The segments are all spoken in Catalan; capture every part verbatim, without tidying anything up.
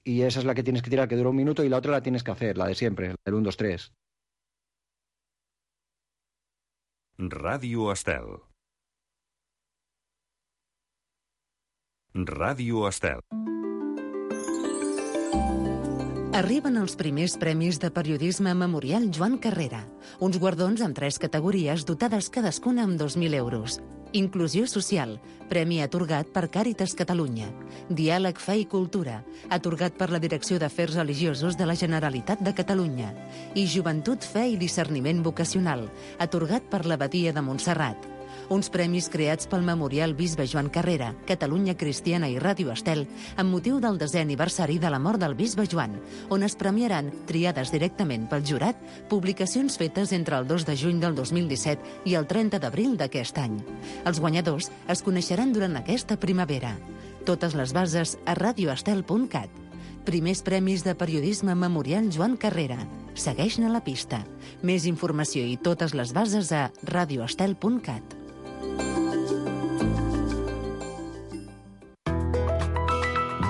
y esa es la que tienes que tirar, que dura un minuto, y la otra la tienes que hacer, la de siempre, el uno, dos, tres. Ràdio Estel. Ràdio Estel. Arriben els primers premis de periodisme Memorial Joan Carrera, uns guardons amb tres categories dotades cadascuna amb dos mil euros. Inclusió social, premi atorgat per Càritas Catalunya. Diàleg, fe i cultura, atorgat per la Direcció d'Afers Religiosos de la Generalitat de Catalunya. I Joventut, fe i discerniment vocacional, atorgat per l'Abadia de Montserrat. Uns premis creats pel Memorial Bisbe Joan Carrera, Catalunya Cristiana i Ràdio Estel, amb motiu del desè aniversari de la mort del Bisbe Joan, on es premiaran, triades directament pel jurat, publicacions fetes entre el dos de juny del dos mil disset i el trenta d'abril d'aquest any. Els guanyadors es coneixeran durant aquesta primavera. Totes les bases a radioestel punt cat. Primers premis de periodisme Memorial Joan Carrera. Segueix-ne la pista. Més informació i totes les bases a radioestel punt cat.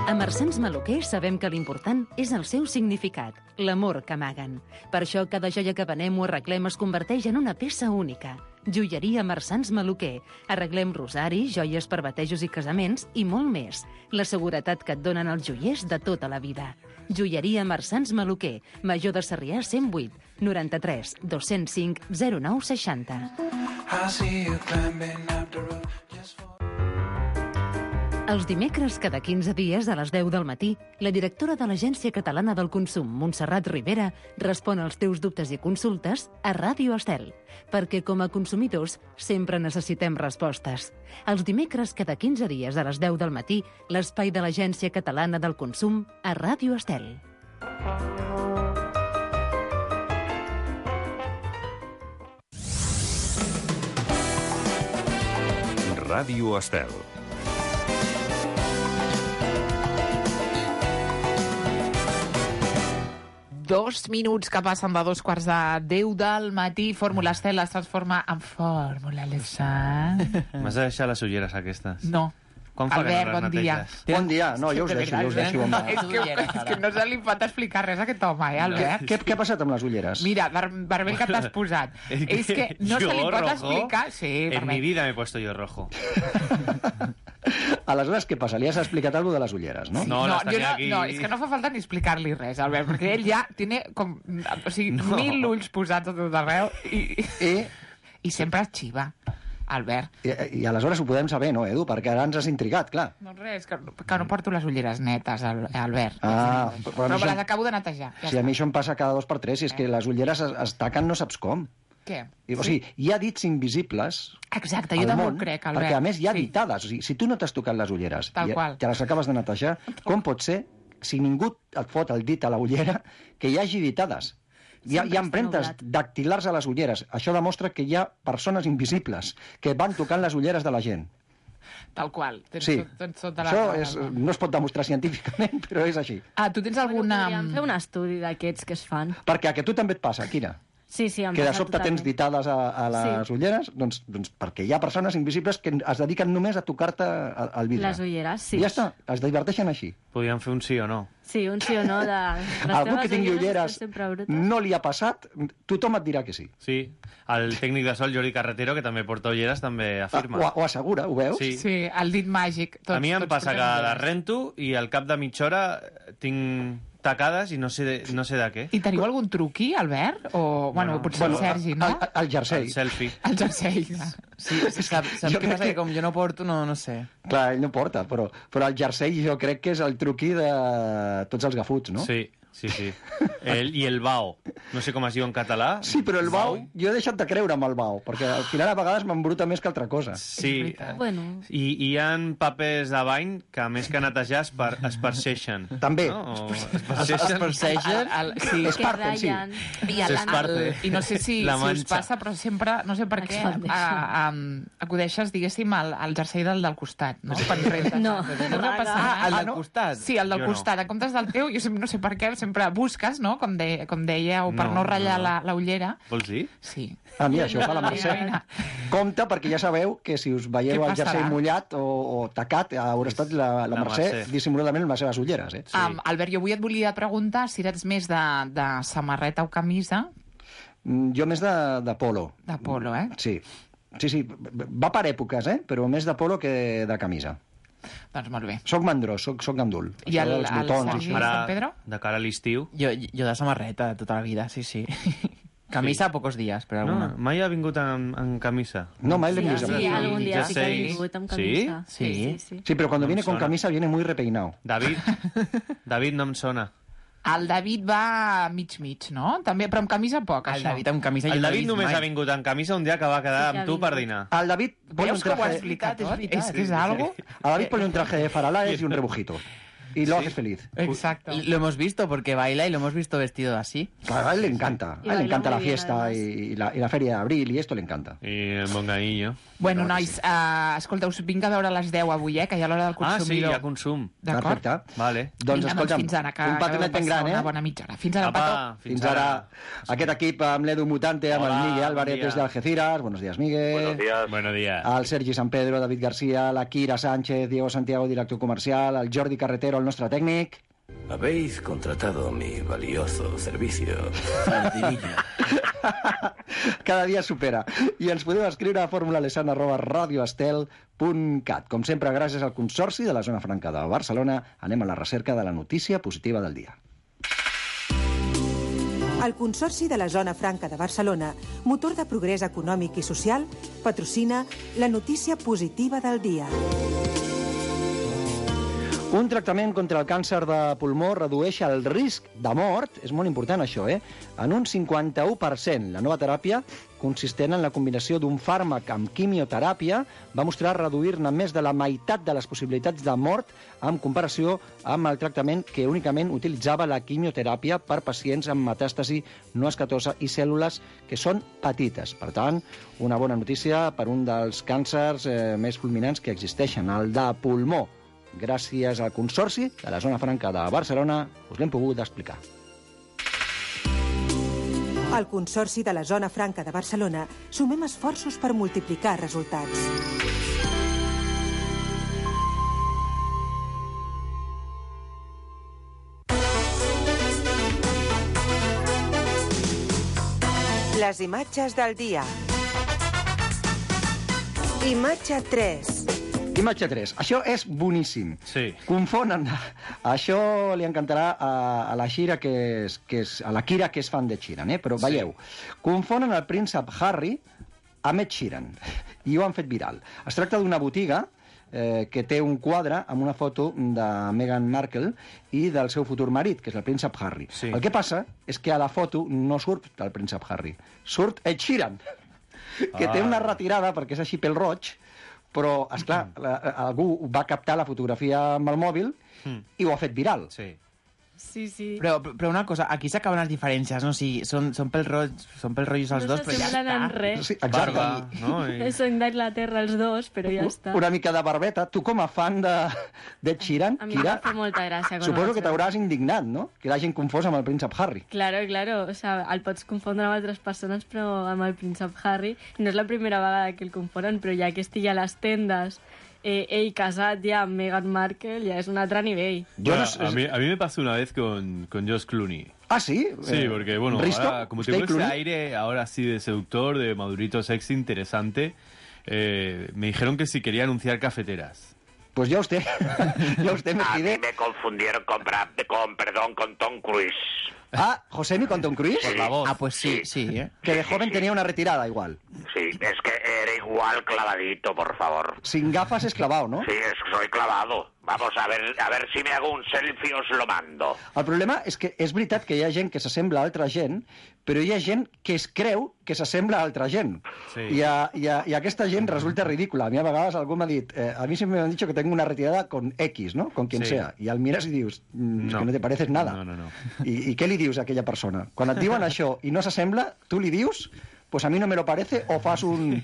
A Marsans Maluquer sabem que l'important és el seu significat, l'amor que amaguen. Per això cada joia que venem o arreglem es converteix en una peça única. Joieria Marsans Maluquer. Arreglem rosaris, joies per batejos i casaments i molt més. La seguretat que et donen els joiers de tota la vida. Joieria Marsans Maluquer. Major de Sarrià cent vuit, noranta-tres, dos-cents cinc, zero nou seixanta. Els dimecres, cada quinze dies, a les deu del matí, la directora de l'Agència Catalana del Consum, Montserrat Rivera, respon als teus dubtes i consultes a Ràdio Estel, perquè com a consumidors sempre necessitem respostes. Els dimecres, cada quinze dies, a les deu del matí, l'espai de l'Agència Catalana del Consum a Ràdio Estel. Ràdio Estel. Dos minuts que passen de dos quarts de deu del matí. Fórmula Estel es transforma en Fórmula Lessant. M'has de deixar les ulleres aquestes? No. Quan fa Albert, que no bon les dia. neteges? Bon dia. No, jo us deixo, jo us deixo. No, és, que, és que no se li pot explicar res a aquest home, eh, Albert? Què, què ha passat amb les ulleres? Mira, ver, vermell que t'has posat. És que no se li pot rojo? explicar... Sí, En mi vermell. vida me he puesto yo rojo. Aleshores, què passa? Li has explicat alguna cosa de les ulleres, no? No, No, las jo tenía no, aquí. no, és que no fa falta ni explicar-li res, Albert, perquè ell ja tiene com, o sigui, No. mil ulls posats a tot arreu i, I, i sempre es xiva, Albert. i, I aleshores ho podem saber, no, Edu? Perquè ara ens has intrigat, clar. No res, que, que no porto les ulleres netes, Al- Albert. Ah, però, però a mi però me això- les acabo de netejar. Ja Si a està. mi això em passa cada dos per tres, i és que les ulleres es, es taquen no saps com. Què? I, o sigui, hi ha dits invisibles Exacte, jo al també món, ho crec, Albert. perquè a més hi ha Sí. ditades. O sigui, si tu no t'has tocat les ulleres Tal i qual. te les acabes de netejar, com pot ser, si ningú et fot el dit a la ullera, que hi hagi ditades? Hi ha, hi ha empremtes dactilars a les ulleres. Això demostra que hi ha persones invisibles que van tocant les ulleres de la gent. Tal qual. Tens, Sí, tot, tens tota la això raó, és, Albert. no es pot demostrar científicament, però és així. Ah, tu tens Bueno, alguna... podríem fer un estudi d'aquests que es fan. Perquè a que tu també et passa, Quina? Sí, sí, em Que de passa sobte tens totalment. ditades a, a les Sí. ulleres, doncs, doncs perquè hi ha persones invisibles que es dediquen només a tocar-te el, el vidre. Les ulleres, sí. I ja està, es diverteixen així. Podríem fer un sí o no. Sí, un sí o no de... Les Algú teves que tingui ulleres estan sempre brutes. no li ha passat, tothom et dirà que sí. Sí. El tècnic de sol, Jordi Carretero, que també porta ulleres, també afirma. Ho, ho assegura, ho veus? Sí. Sí, el dit màgic. Tots, A mi em tots passa que portem les ulleres. rento i al cap de mitja hora tinc tacades i no sé de, no sé de què. I teniu algun truqui, Albert? O, bueno, Bueno, potser el Sergi, no? El, el jersei. El selfie. El jersei. Sí, sap, saps Jo què crec passa? que- Que com jo no porto, no, no sé. Clar, ell no porta, però, però el jersei jo crec que és el truqui de tots els gafuts, no? Sí, sí, sí. El, I el bao. No sé com es diu en català. Sí, però el bau, jo he deixat de creure amb el bau, perquè al final a vegades m'embruta més que altra cosa. Sí. Bueno. I, I hi ha papers de bany que, a més que netejar, es, per, es perseixen. També. No? O es Es, es perseixen. persegen? El, el, sí, Es Que parten, sí. ratllen. I, el, Es parte. el, I no sé si, La si us manxa. passa, però sempre, no sé per què, Expandeixen. a, a, acudeixes, diguéssim, al, al jersei del del costat, no? Quan rentes. No. No us ha passat? Ah, el Ah, del no? costat. Sí, el del Jo no. costat. En comptes del teu, jo sempre no sé per què, sempre busques, no?, com, de, com dèieu, per no, No, ratllar no. la, la ullera. Vols dir? Sí. Ah, mira, això ho fa la Mercè. Mira. Compte, perquè ja sabeu que si us veieu Què el jersei passarà? mullat o, o tacat, haurà estat la, la, La Mercè, Mercè. dissimuladament amb les seves ulleres, eh? Sí. Um, Albert, jo avui et volia preguntar si eres més de, de samarreta o camisa. Mm, Jo més de, de polo. De polo, eh? Sí. Sí, sí, va per èpoques, eh? Però més de polo que de camisa. Doncs molt bé. Soc mandrós, soc, soc gandul. I el, Això dels el botons, Sergi això. San Pedro? de cara a l'estiu... Jo, jo de samarreta tota la vida, sí, sí. Camisa pocos días, però No, alguna. mai ha vingut en, en camisa. No, mai l'hem Sí, vist. sí, amb- algún día sí que ha Jerseys. vingut amb Sí? camisa. Sí. sí, sí. Sí, però cuando No em viene con sona. camisa viene muy repeinado. David, David no em sona. El David va mig-mig, no? També, però amb camisa poc, El això. David amb camisa jo El no l'he David vist només mai. ha vingut en camisa un dia que va quedar Sí que amb ha tu per vingut. dinar. Al David ponle un Veus com ho ha traje, explicat és tot? veritat. És que és algo... a David ponle un traje de faralaes y un rebujito. Y lo haces feliz. Exacto. Lo hemos visto porque baila y lo hemos visto vestido así. Claro, a él le encanta. Y A él le baila encanta muy la bien, fiesta además. y la, y la feria de abril y esto le encanta. I el monganillo. Bueno, Clar que nois, uh, escolta, us vinc a veure a les deu avui, eh, que hi ha l'hora del Ah, sí, hi consumidor. ha consum. D'acord? Perfecte. Vale. Doncs Vinga, escolta'm, fins ara, que un acabeu patinet de ben passar gran, una eh? bona mitja hora. Fins ara, Apa, Pato. Fins ara. Aquest equip amb l'Edu Mutante, amb Hola, el Miguel bon Álvarez dia. des d'Algeciras. Buenos días, Miguel. Buenos días. Buenos días. El Sergi San Pedro, David García, la Kira Sánchez, Diego Santiago, director comercial, el Jordi Carretero, el nostre tècnic. Habéis contratado mi valioso servicio. Sardinilla. Cada dia supera. I ens podeu escriure a formulalesan arroba radioestel punt cat. Com sempre, gràcies al Consorci de la Zona Franca de Barcelona, anem a la recerca de la notícia positiva del dia. El Consorci de la Zona Franca de Barcelona, motor de progrés econòmic i social, patrocina la notícia positiva del dia. Un tractament contra el càncer de pulmó redueix el risc de mort, és molt important això, eh? En un cinquanta-u per cent. La nova teràpia, consistent en la combinació d'un fàrmac amb quimioteràpia, va mostrar reduir-ne més de la meitat de les possibilitats de mort en comparació amb el tractament que únicament utilitzava la quimioteràpia per pacients amb metàstasi no escatosa i cèl·lules que són petites. Per tant, una bona notícia per un dels càncers eh, més fulminants que existeixen, el de pulmó. Gràcies al Consorci de la Zona Franca de Barcelona us l'hem pogut explicar. Al Consorci de la Zona Franca de Barcelona sumem esforços per multiplicar resultats. Les imatges del dia. Imatge tres. Imatge tres. Això és boníssim. Sí. Confonen. Això li encantarà a, a la Shira, que és, que és, a la Kira, que és fan de Sheeran, eh? Però veieu, confonen el príncep Harry amb Ed Sheeran. I ho han fet viral. Es tracta d'una botiga eh, que té un quadre amb una foto de Meghan Markle i del seu futur marit, que és el príncep Harry. Sí. El que passa és que a la foto no surt el príncep Harry, surt Ed Sheeran, que Ah. té una retirada perquè és així pel roig, però, esclar, la, algú va captar la fotografia amb el mòbil Mm. i ho ha fet viral. Sí. Sí, sí. Però, però una cosa, aquí s'acaben les diferències, no? O sigui, són, són pel roig, són pel rotllos els No dos, però ja s'assemblen en està. res. Sí, exacte. Barba, no? I... Són d'Anglaterra els dos, però ja està. Una mica de barbeta. Tu, com a fan de, de Sheeran, A mi em Kira, va fer molta gràcia. quan ho suposo vaig que t'hauràs indignat, no? Que l'hagin confós amb el príncep Harry. Claro, claro, o sea, el pots confondre amb altres persones, però amb el príncep Harry no és la primera vegada que el confonen, però ja que estigui a les tendes, eh, ell casat ja amb Meghan Markle, ja és un altre nivell. Yo Bueno, no sé- a, mí, a mí me pasó una vez con, con Josh Clooney. Ah, sí? Sí, Eh, porque, bueno, ¿Risto? ahora, como ¿Usted tengo ese Clooney? aire ahora sí de seductor, de madurito sexy, interesante, eh, me dijeron que si quería anunciar cafeteras. Pues ya usted, ya usted me A mí pide... me confundieron con, Brad, con, perdón, con Tom Cruise. Ah, Josemi con Tom Cruise, Sí. La voz. Ah, pues sí, sí, ¿eh? que de joven tenía una retirada igual. Sí, es que era igual clavadito, por favor. Sin gafas es clavado, no? Sí, es, soy clavado. Vamos a ver, a ver si me hago un selfie os lo mando. El problema és que és veritat que hi ha gent que s'assembla a altra gent, però hi ha gent que es creu que s'assembla a altra gent. Sí. I, a, i, a, I aquesta gent resulta ridícula. A mi a vegades algú m'ha dit, eh, a mi siempre me han dicho que tengo una retirada con X, ¿no? Con quien Sí. sea. I el mires i dius, mm, és No. que no te pareces nada. No, no, no. I, I què li dius a aquella persona? Quan et diuen això i no s'assembla, tu li dius, pues a mí no me lo parece, o fas un...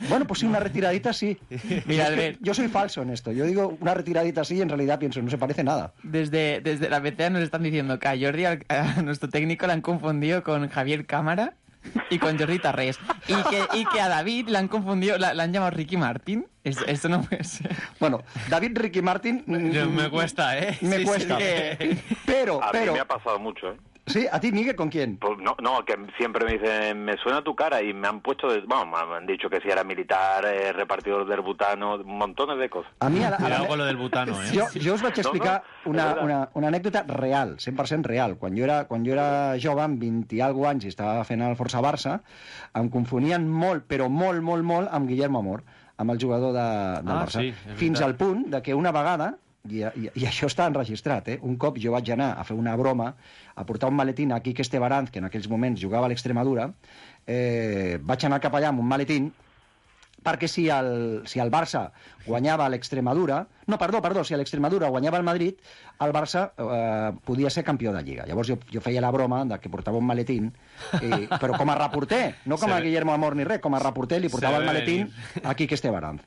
Bueno, pues sí, una retiradita sí. Mira, Es que Albert. yo soy falso en esto. Yo digo una retiradita sí y en realidad pienso, no se parece nada. Desde, desde la B C A nos están diciendo que a Jordi, al- a nuestro técnico, le han confundido con Javier Cámara y con Jordi Tarrés. Y que, y que a David le han confundido, la, la han llamado Ricky Martin. Es- Esto no puede ser. Bueno, David Ricky Martin... mm, Me cuesta, ¿eh? Me Sí, cuesta. sí. Pero, A pero... mí me ha pasado mucho, ¿eh? Sí, ¿a ti, Miguel, con quién? Pues no, no, que siempre me dicen, me suena tu cara y me han puesto, de, bueno, me han dicho que si era militar, eh, repartidor del butano, montones de cosas. A mi, a la, a la, Cuidado con lo del butano, eh? Jo, jo us vaig No, explicar no, una, és veritat. una, una anècdota real, cent per cent real. Quan jo era, quan jo era jove, amb vint i alguna anys, i estava fent el Força Barça, em confonien molt, però molt, molt, molt, amb Guillermo Amor, amb el jugador de, del Ah, Barça. sí, és Fins veritat. al punt de que una vegada, i, i, i això està enregistrat, eh? Un cop jo vaig anar a fer una broma, a portar un maletín a Quique Estebaranz, que en aquells moments jugava a l'Extremadura, eh, vaig anar cap allà amb un maletín, perquè si el, si el Barça guanyava a l'Extremadura... No, perdó, perdó, si l'Extremadura guanyava el Madrid, el Barça eh, podia ser campió de Lliga. Llavors jo, jo feia la broma de que portava un maletín, i, però com a reporter, no com a Se ve- Guillermo Amor ni res, com a reporter li portava Se el ve maletín venir. a Quique Estebaranz.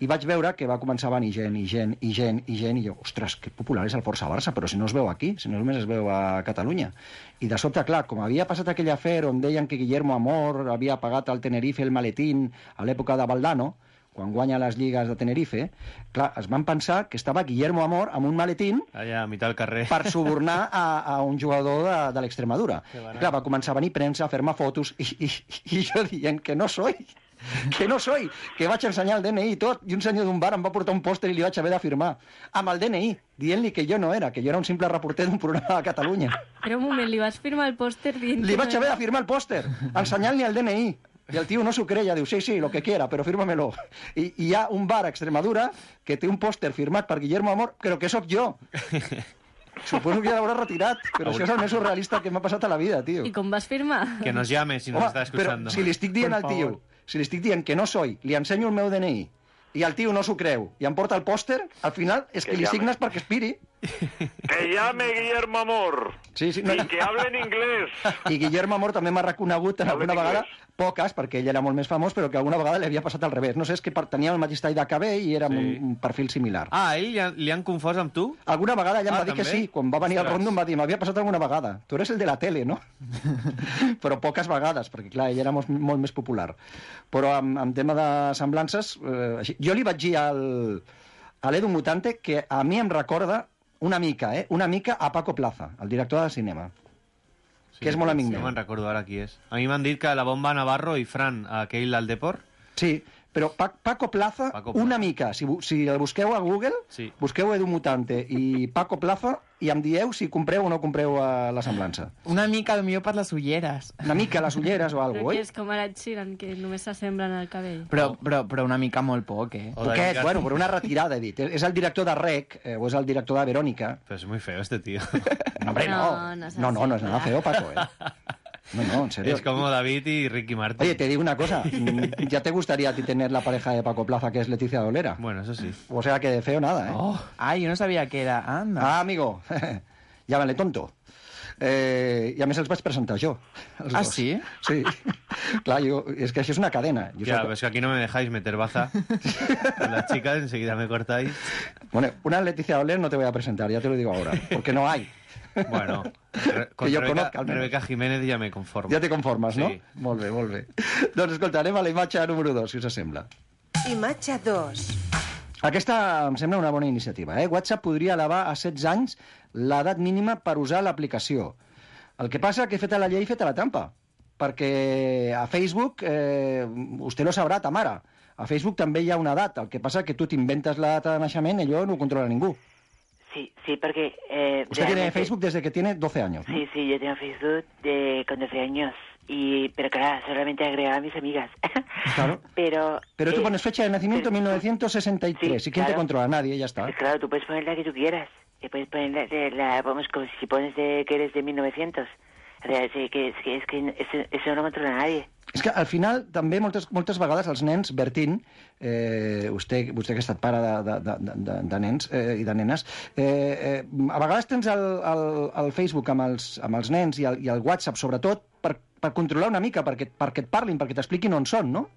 I vaig veure que va començar a venir gent, i gent, i gent, i gent, i jo, ostres, que popular és el Força Barça, però si no es veu aquí, si no només es veu a Catalunya. I de sobte, clar, com havia passat aquell afer on deien que Guillermo Amor havia pagat al Tenerife el maletín a l'època de Valdano, quan guanya les lligues de Tenerife, clar, es van pensar que estava Guillermo Amor amb un maletín Allà, a mitad del carrer. per subornar a, a un jugador de, de l'Extremadura. Que barat. Clar, va començar a venir premsa, a fer-me fotos, i, i, i jo dient que no soy, que no soy, que vaig ensenyar el D N I i tot, i un senyor d'un bar em va portar un pòster i li vaig haver de firmar, amb el D N I, dient-li que jo no era, que jo era un simple reporter d'un programa de Catalunya. Però un moment, li vas firmar el pòster dient Li que vaig no haver era- de firmar el pòster, ensenyant-li el D N I. I el tio no s'ho creia, diu, sí, sí, lo que quiera, però fírmamelo. I, I hi ha un bar a Extremadura que té un pòster firmat per Guillermo Amor, però que sóc jo. Suposo que ja l'haurà retirat, però això és el més surrealista que m'ha passat a la vida, tio. I com vas firmar? Que nos llame si nos Home, está escuchando. però si li estic dient Por al tio, favor. si li estic dient que no soy, li ensenyo el meu D N I, i el tio no s'ho creu, i em porta el pòster, al final és que, Que li llame. signes perquè expiri. Que llame Guillermo Amor Sí, sí, no, y que hable en inglés. I Guillermo Amor també m'ha reconegut en Habla alguna en vegada, inglés. poques, perquè ell era molt més famós, però que alguna vegada li havia passat al revés. No sé, és que per- tenia el mateix tall de cabell i era Sí. un, un perfil similar. Ah, ell li han, li han confós amb tu? Alguna vegada ella em Ah, va dir que també? sí, quan va venir al Ostres. Rondo em va dir, m'havia passat alguna vegada. Tu eres el de la tele, no? Però poques vegades, perquè clar, ell era molt, molt més popular. Però en, en tema de semblances, eh, així, jo li vaig dir al, a l'Edu Mutante que a mi em recorda una mica, eh? Una mica a Paco Plaza, el director de cinema. Sí, Que és molt amic No meu. me'n recordo ara qui és. A mi m'han dit que la Bomba Navarro i Fran, aquell al Deport, Sí, però Pa- Paco Plaza, Paco Plaza. una mica. Si, bu- si el busqueu a Google, Sí. busqueu Edu Mutante i Paco Plaza i em dieu si compreu o no compreu a la semblança. Una mica el millor per les ulleres. Una mica les ulleres o Però alguna que cosa, és com ara Ed Sheeran, que només s'assemblen al cabell. Però, però, però una mica molt poc, eh? O Poquet, David bueno, Gat- però una retirada, he dit. És el director de Rec, eh, o és el director de Verònica. Pero es muy feo este tío. No, hombre, no. No, no es No, no, no es así, nada ¿verdad? feo, Paco, eh. No, no, en serio. Es como David y Ricky Martin. Oye, te digo una cosa. mm, ¿Ya te gustaría a ti tener la pareja de Paco Plaza, que es Leticia Dolera? Bueno, eso sí. O sea que de feo nada, ¿eh? Oh, ay, yo no sabía que era. Anda. Ah, amigo, llámale tonto. Eh, I a més els vaig presentar jo. els Ah, dos. sí? Sí. Clar, jo, és que això és una cadena. Jo Ya, soc- pues que aquí no me dejáis meter baza. Con las chicas enseguida me cortáis. Bueno, una Leticia Doler no te voy a presentar, ya te lo digo ahora, porque no hay. Bueno, re- con Que yo Rebeca, conozca, al menos. Rebeca Jiménez ya me conformo. Ja te conformes, no? Sí. Molt bé, molt bé. Doncs escolta, anem a la imatge número dos, si us sembla. Imatge dos. Aquesta em sembla una bona iniciativa. Eh? WhatsApp podria elevar a setze anys l'edat mínima per usar l'aplicació. El que passa que feta la llei, feta la trampa. Perquè a Facebook, eh, vostè lo sabrà, ta mare, a Facebook també hi ha una edat. El que passa que tu t'inventes la data de naixement i allò no ho controla ningú. Sí, sí, porque... Eh, Usted tiene realmente- Facebook desde que tiene doce años, ¿no? Sí, sí, yo tengo Facebook de, con doce años. Y, pero claro, solamente agregaba a mis amigas. Claro. Pero... Pero tú eh, pones fecha de nacimiento pero- mil novecientos sesenta y tres. Sí, ¿Y quién te claro. controla? Nadie, ya está. Pues claro, tú puedes poner la que tú quieras. Y puedes poner la, de- la- vamos, como si pones de, que eres de mil novecientos. O sea, sí, que, es que, es que eso, eso no controla a nadie. És que al final també moltes, moltes vegades els nens, Bertín, eh, vostè, vostè que ha estat pare de, de, de, de, de nens eh, i de nenes, eh, eh, a vegades tens el, el, el Facebook amb els, amb els nens i el, i el WhatsApp, sobretot, per, per controlar una mica, perquè, perquè et parlin, perquè t'expliquin on són, no?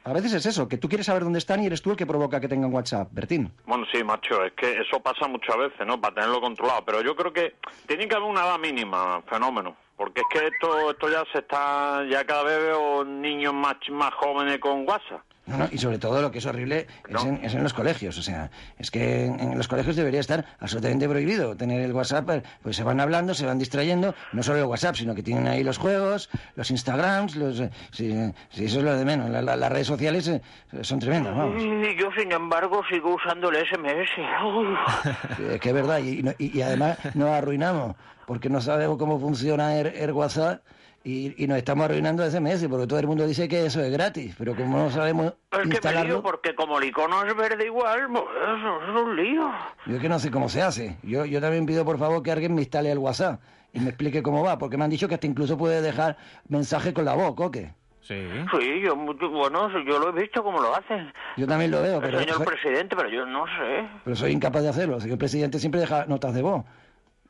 A veces es eso, que tú quieres saber dónde están y eres tú el que provoca que tengan WhatsApp, Bertín. Bueno, sí, macho, es que eso pasa muchas veces, ¿no? Para tenerlo controlado. Pero yo creo que tiene que haber una edad mínima, fenómeno. Porque es que esto esto ya se está... Ya cada vez veo niños más, más jóvenes con WhatsApp. No, no, y sobre todo lo que es horrible es, no. en, es en los colegios. O sea, es que en, en los colegios debería estar absolutamente prohibido tener el WhatsApp. Pues se van hablando, se van distrayendo. No solo el WhatsApp, sino que tienen ahí los juegos, los Instagrams, los... Eh, sí, sí, eso es lo de menos. La, la, las redes sociales eh, son tremendas, vamos. Y yo, sin embargo, sigo usando el ese eme ese. Es que es verdad. Y, y, y además nos arruinamos porque no sabemos cómo funciona el, el WhatsApp. Y, y nos estamos arruinando ese mes, porque todo el mundo dice que eso es gratis, pero como no sabemos es instalarlo... que me lío, porque como el icono es verde igual, pues eso es un lío. Yo es que no sé cómo se hace. Yo, yo también pido, por favor, que alguien me instale el WhatsApp y me explique cómo va, porque me han dicho que hasta incluso puede dejar mensaje con la voz, ¿o qué? Sí. Sí, yo, bueno, yo lo he visto cómo lo hacen. Yo también lo veo, pero... El señor soy... presidente, pero yo no sé. Pero soy incapaz de hacerlo. El señor presidente siempre deja notas de voz.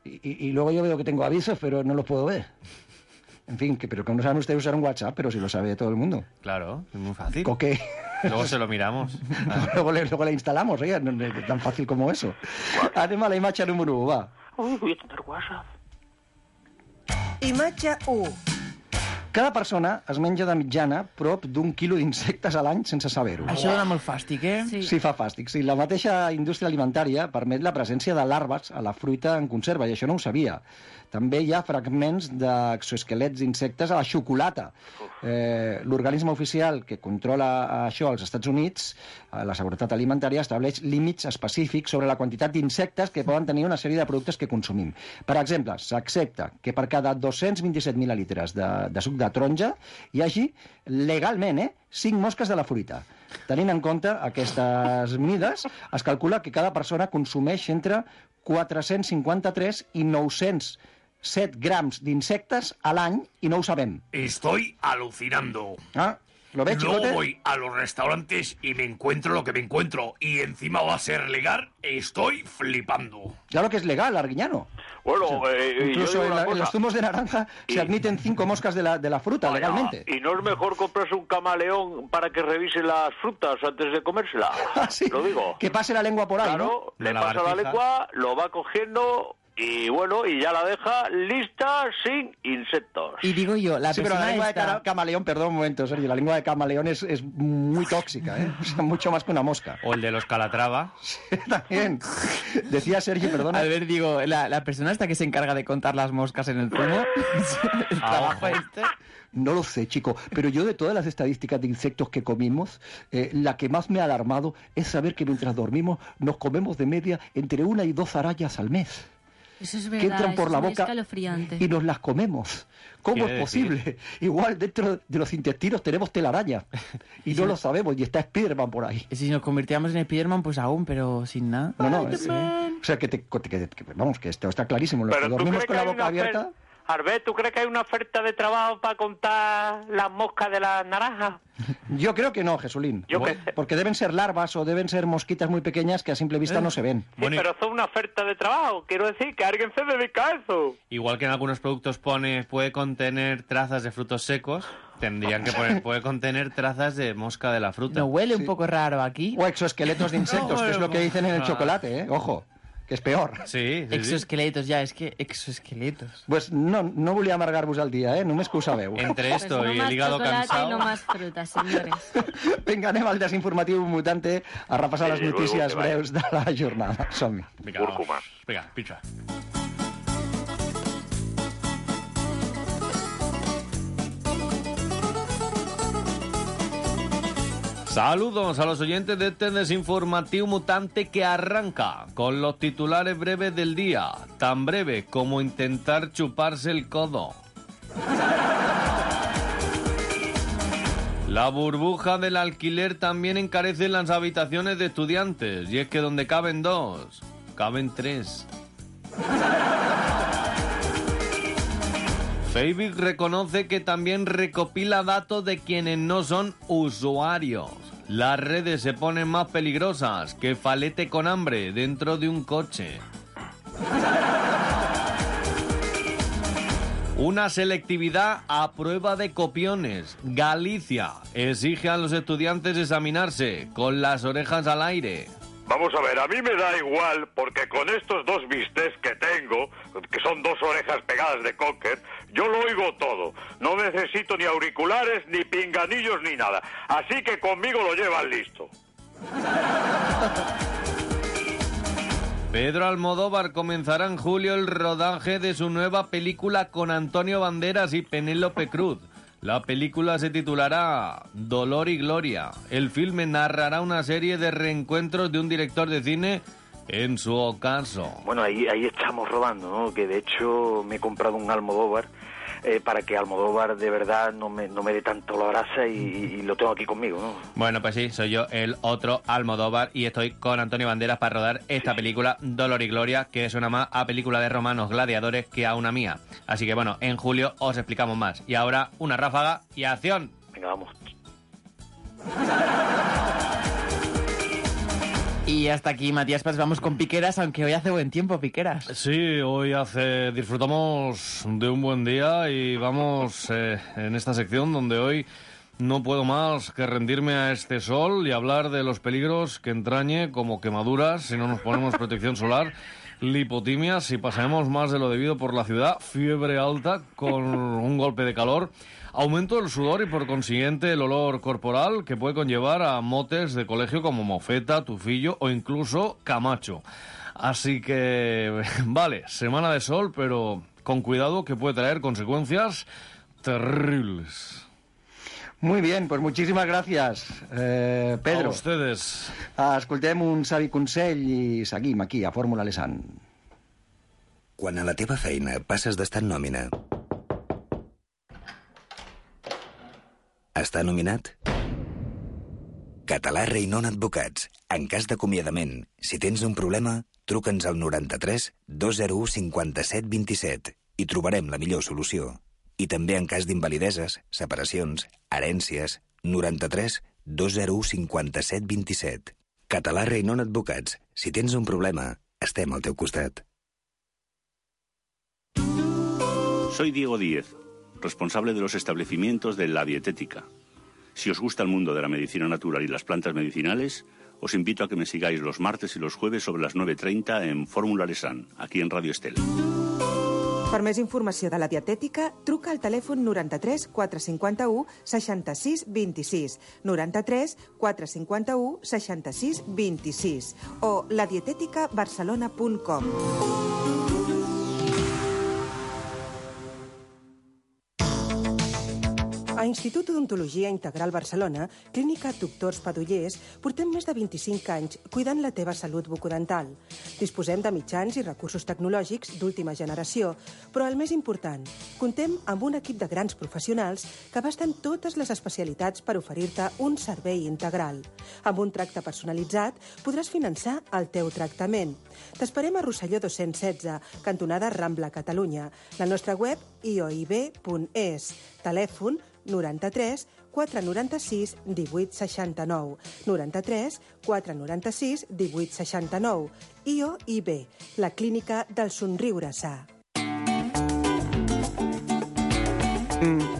Y, y, y luego yo veo que tengo avisos, pero no los puedo ver. En fin, que, pero que no saben ustedes usar un WhatsApp, pero si lo sabe todo el mundo. Claro, es muy fácil. ¿Coqué? Luego se lo miramos. luego, le, luego le instalamos, oiga, no, no, tan fácil como eso. Anem a la imatge número u, va. Uy, voy a tener WhatsApp. Imatge u. Cada persona es menja de mitjana prop d'un quilo d'insectes a l'any sense saber-ho. Això dona molt fàstic, eh? Sí. sí, fa fàstic. Sí, la mateixa indústria alimentària permet la presència de larves a la fruita en conserva, i això no ho sabia. També hi ha fragments d'exoesquelets d'insectes a la xocolata. Eh, L'organisme oficial que controla això als Estats Units, la Seguretat Alimentària, estableix límits específics sobre la quantitat d'insectes que poden tenir una sèrie de productes que consumim. Per exemple, s'accepta que per cada dos-cents vint-i-set mil·lilitres de, de suc de taronja hi hagi legalment eh, cinc mosques de la fruita. Tenint en compte aquestes mides, es calcula que cada persona consumeix entre quatre-cents cinquanta-tres i nou-cents set grams d'insectes a l'any i no ho sabem. Estoy alucinando. Ah, ¿lo ves, Luego chicote? voy a los restaurantes y me encuentro lo que me encuentro. Y encima va a ser legal. Estoy flipando. Claro que es legal, Arguiñano. Bueno, O sea, eh, incluso yo digo en, una la- en cosa. los zumos de naranja se admiten cinco moscas de la, de la fruta Vaya, legalmente. ¿y no es mejor comprarse un camaleón para que revise las frutas antes de comérselas? Ah, sí. Lo digo. Que pase la lengua por ahí, Claro, ¿no? le pasa la lengua, lo va cogiendo y bueno, y ya la deja lista sin insectos. Y digo yo, la Sí, pero la persona lengua de esta... cara- camaleón, perdón un momento, Sergio, la lengua de camaleón es, es muy tóxica, ¿eh? O sea, mucho más que una mosca. O el de los Calatrava. También. Decía Sergio, perdona. A ver, digo, la, la persona esta que se encarga de contar las moscas en el zumo, el trabajo este... No lo sé, chico, pero yo de todas las estadísticas de insectos que comimos, eh, la que más me ha alarmado es saber que mientras dormimos nos comemos de media entre una y dos arañas al mes. Eso es Que verdad, entran por eso la es muy boca escalofriante. y nos las comemos. ¿Cómo Quiere es posible? Igual dentro de los intestinos tenemos telaraña y no lo sabemos y está Spiderman por ahí. Y si nos convirtiéramos en Spiderman, pues aún, pero sin nada. No, no, es- o sea, que, te, que- que- vamos, que esto está clarísimo. Los que Pero ¿tú dormimos crees con que la hay boca una abierta... oferta? Arbet, ¿tú crees que hay una oferta de trabajo para contar las moscas de las naranjas? Yo creo que no, Jesulín. Yo Porque- qué Porque deben ser larvas o deben ser mosquitas muy pequeñas que a simple vista no se ven. Sí, pero son una oferta de trabajo. Quiero decir que alguien se dedica a eso. Igual que en algunos productos pone puede contener trazas de frutos secos, tendrían que poner puede contener trazas de mosca de la fruta. ¿No huele un poco raro aquí? O exoesqueletos de insectos, que es lo que dicen en el Ah. chocolate, ¿eh? Ojo, que es peor. Sí, sí, sí. Exoesqueletos, ya, es que exoesqueletos. Pues no, no volia amargar-vos el dia, eh? Només que ho sabeu. Entre esto Pues no y más el hígado chocolate cansado. y no más frutas, señores. Vinga, anem al desinformatiu mutante a repassar les Sí, luego notícies que vaya. breus de la jornada. Som-hi. Venga, Cúrcuma. vamos. Venga, picha. Saludos a los oyentes de este desinformativo mutante que arranca con los titulares breves del día, tan breve como intentar chuparse el codo. La burbuja del alquiler también encarece las habitaciones de estudiantes, y es que donde caben dos, caben tres. Facebook reconoce que también recopila datos de quienes no son usuarios. Las redes se ponen más peligrosas que falete con hambre dentro de un coche. Una selectividad a prueba de copiones. Galicia exige a los estudiantes examinarse con las orejas al aire. Vamos a ver, a mí me da igual porque con estos dos bistecs que tengo, que son dos orejas pegadas de cocker, yo lo oigo todo. No necesito ni auriculares, ni pinganillos, ni nada. Así que conmigo lo llevan listo. Pedro Almodóvar comenzará en julio el rodaje de su nueva película con Antonio Banderas y Penélope Cruz. La película se titulará Dolor y Gloria. El filme narrará una serie de reencuentros de un director de cine en su ocaso. Bueno, ahí, ahí estamos robando, ¿no? Que de hecho me he comprado un Almodóvar eh, para que Almodóvar de verdad no me, no me dé tanto la grasa y, y lo tengo aquí conmigo, ¿no? Bueno, pues sí, soy yo el otro Almodóvar y estoy con Antonio Banderas para rodar esta película Dolor y Gloria, que suena más a película de romanos gladiadores que a una mía. Así que bueno, en julio os explicamos más. Y ahora una ráfaga y acción. Venga, vamos. Y hasta aquí, Matías Paz, vamos con Piqueras, aunque hoy hace buen tiempo, Piqueras. Sí, hoy hace disfrutamos de un buen día y vamos eh, en esta sección donde hoy no puedo más que rendirme a este sol y hablar de los peligros que entrañe, como quemaduras si no nos ponemos protección solar, lipotimia si pasamos más de lo debido por la ciudad, fiebre alta con un golpe de calor, aumento del sudor y por consiguiente el olor corporal que puede conllevar a motes de colegio como mofeta, tufillo o incluso camacho. Así que, vale, semana de sol, pero con cuidado que puede traer consecuencias terribles. Muy bien, pues muchísimas gràcies, eh, Pedro. A ustedes. Escoltem un savi consell i seguim aquí, a Fórmula Lesan. Quan a la teva feina passes d'estar en nòmina a estar nominat? Català Reinon Advocats. En cas d'acomiadament, si tens un problema, truca'ns al noranta-tres dos zero u cinquanta-set vint-i-set i trobarem la millor solució. I també en cas d'invalideses, separacions, herències, noranta-tres dos zero u cinquanta-set vint-i-set. Català Reinon Advocats. Si tens un problema, estem al teu costat. Soy Diego Díez, responsable de los establecimientos de La Dietética. Si os gusta el mundo de la medicina natural y las plantas medicinales, os invito a que me sigáis los martes y los jueves sobre las nueve treinta en Fórmula Lesan, aquí en Radio Estel. Per més informació de la dietètica, truca al telèfon noranta-tres quatre cinquanta-u seixanta-sis vint-i-sis, noranta-tres quatre cinquanta-u seixanta-sis vint-i-sis o la dietética barcelona punt com. A Institut d'Odontologia Integral Barcelona, Clínica Doctors Padollers, portem més de vint-i-cinc anys cuidant la teva salut bucodental. Disposem de mitjans i recursos tecnològics d'última generació, però el més important, comptem amb un equip de grans professionals que abasten totes les especialitats per oferir-te un servei integral. Amb un tracte personalitzat podràs finançar el teu tractament. T'esperem a Rosselló dos-cents setze, cantonada Rambla, Catalunya. La nostra web i o i be punt es. Telèfon noranta-tres quatre noranta-sis divuit seixanta-nou, noranta-tres quatre noranta-sis divuit seixanta-nou. I o i be, la clínica del somriure sa. Mm.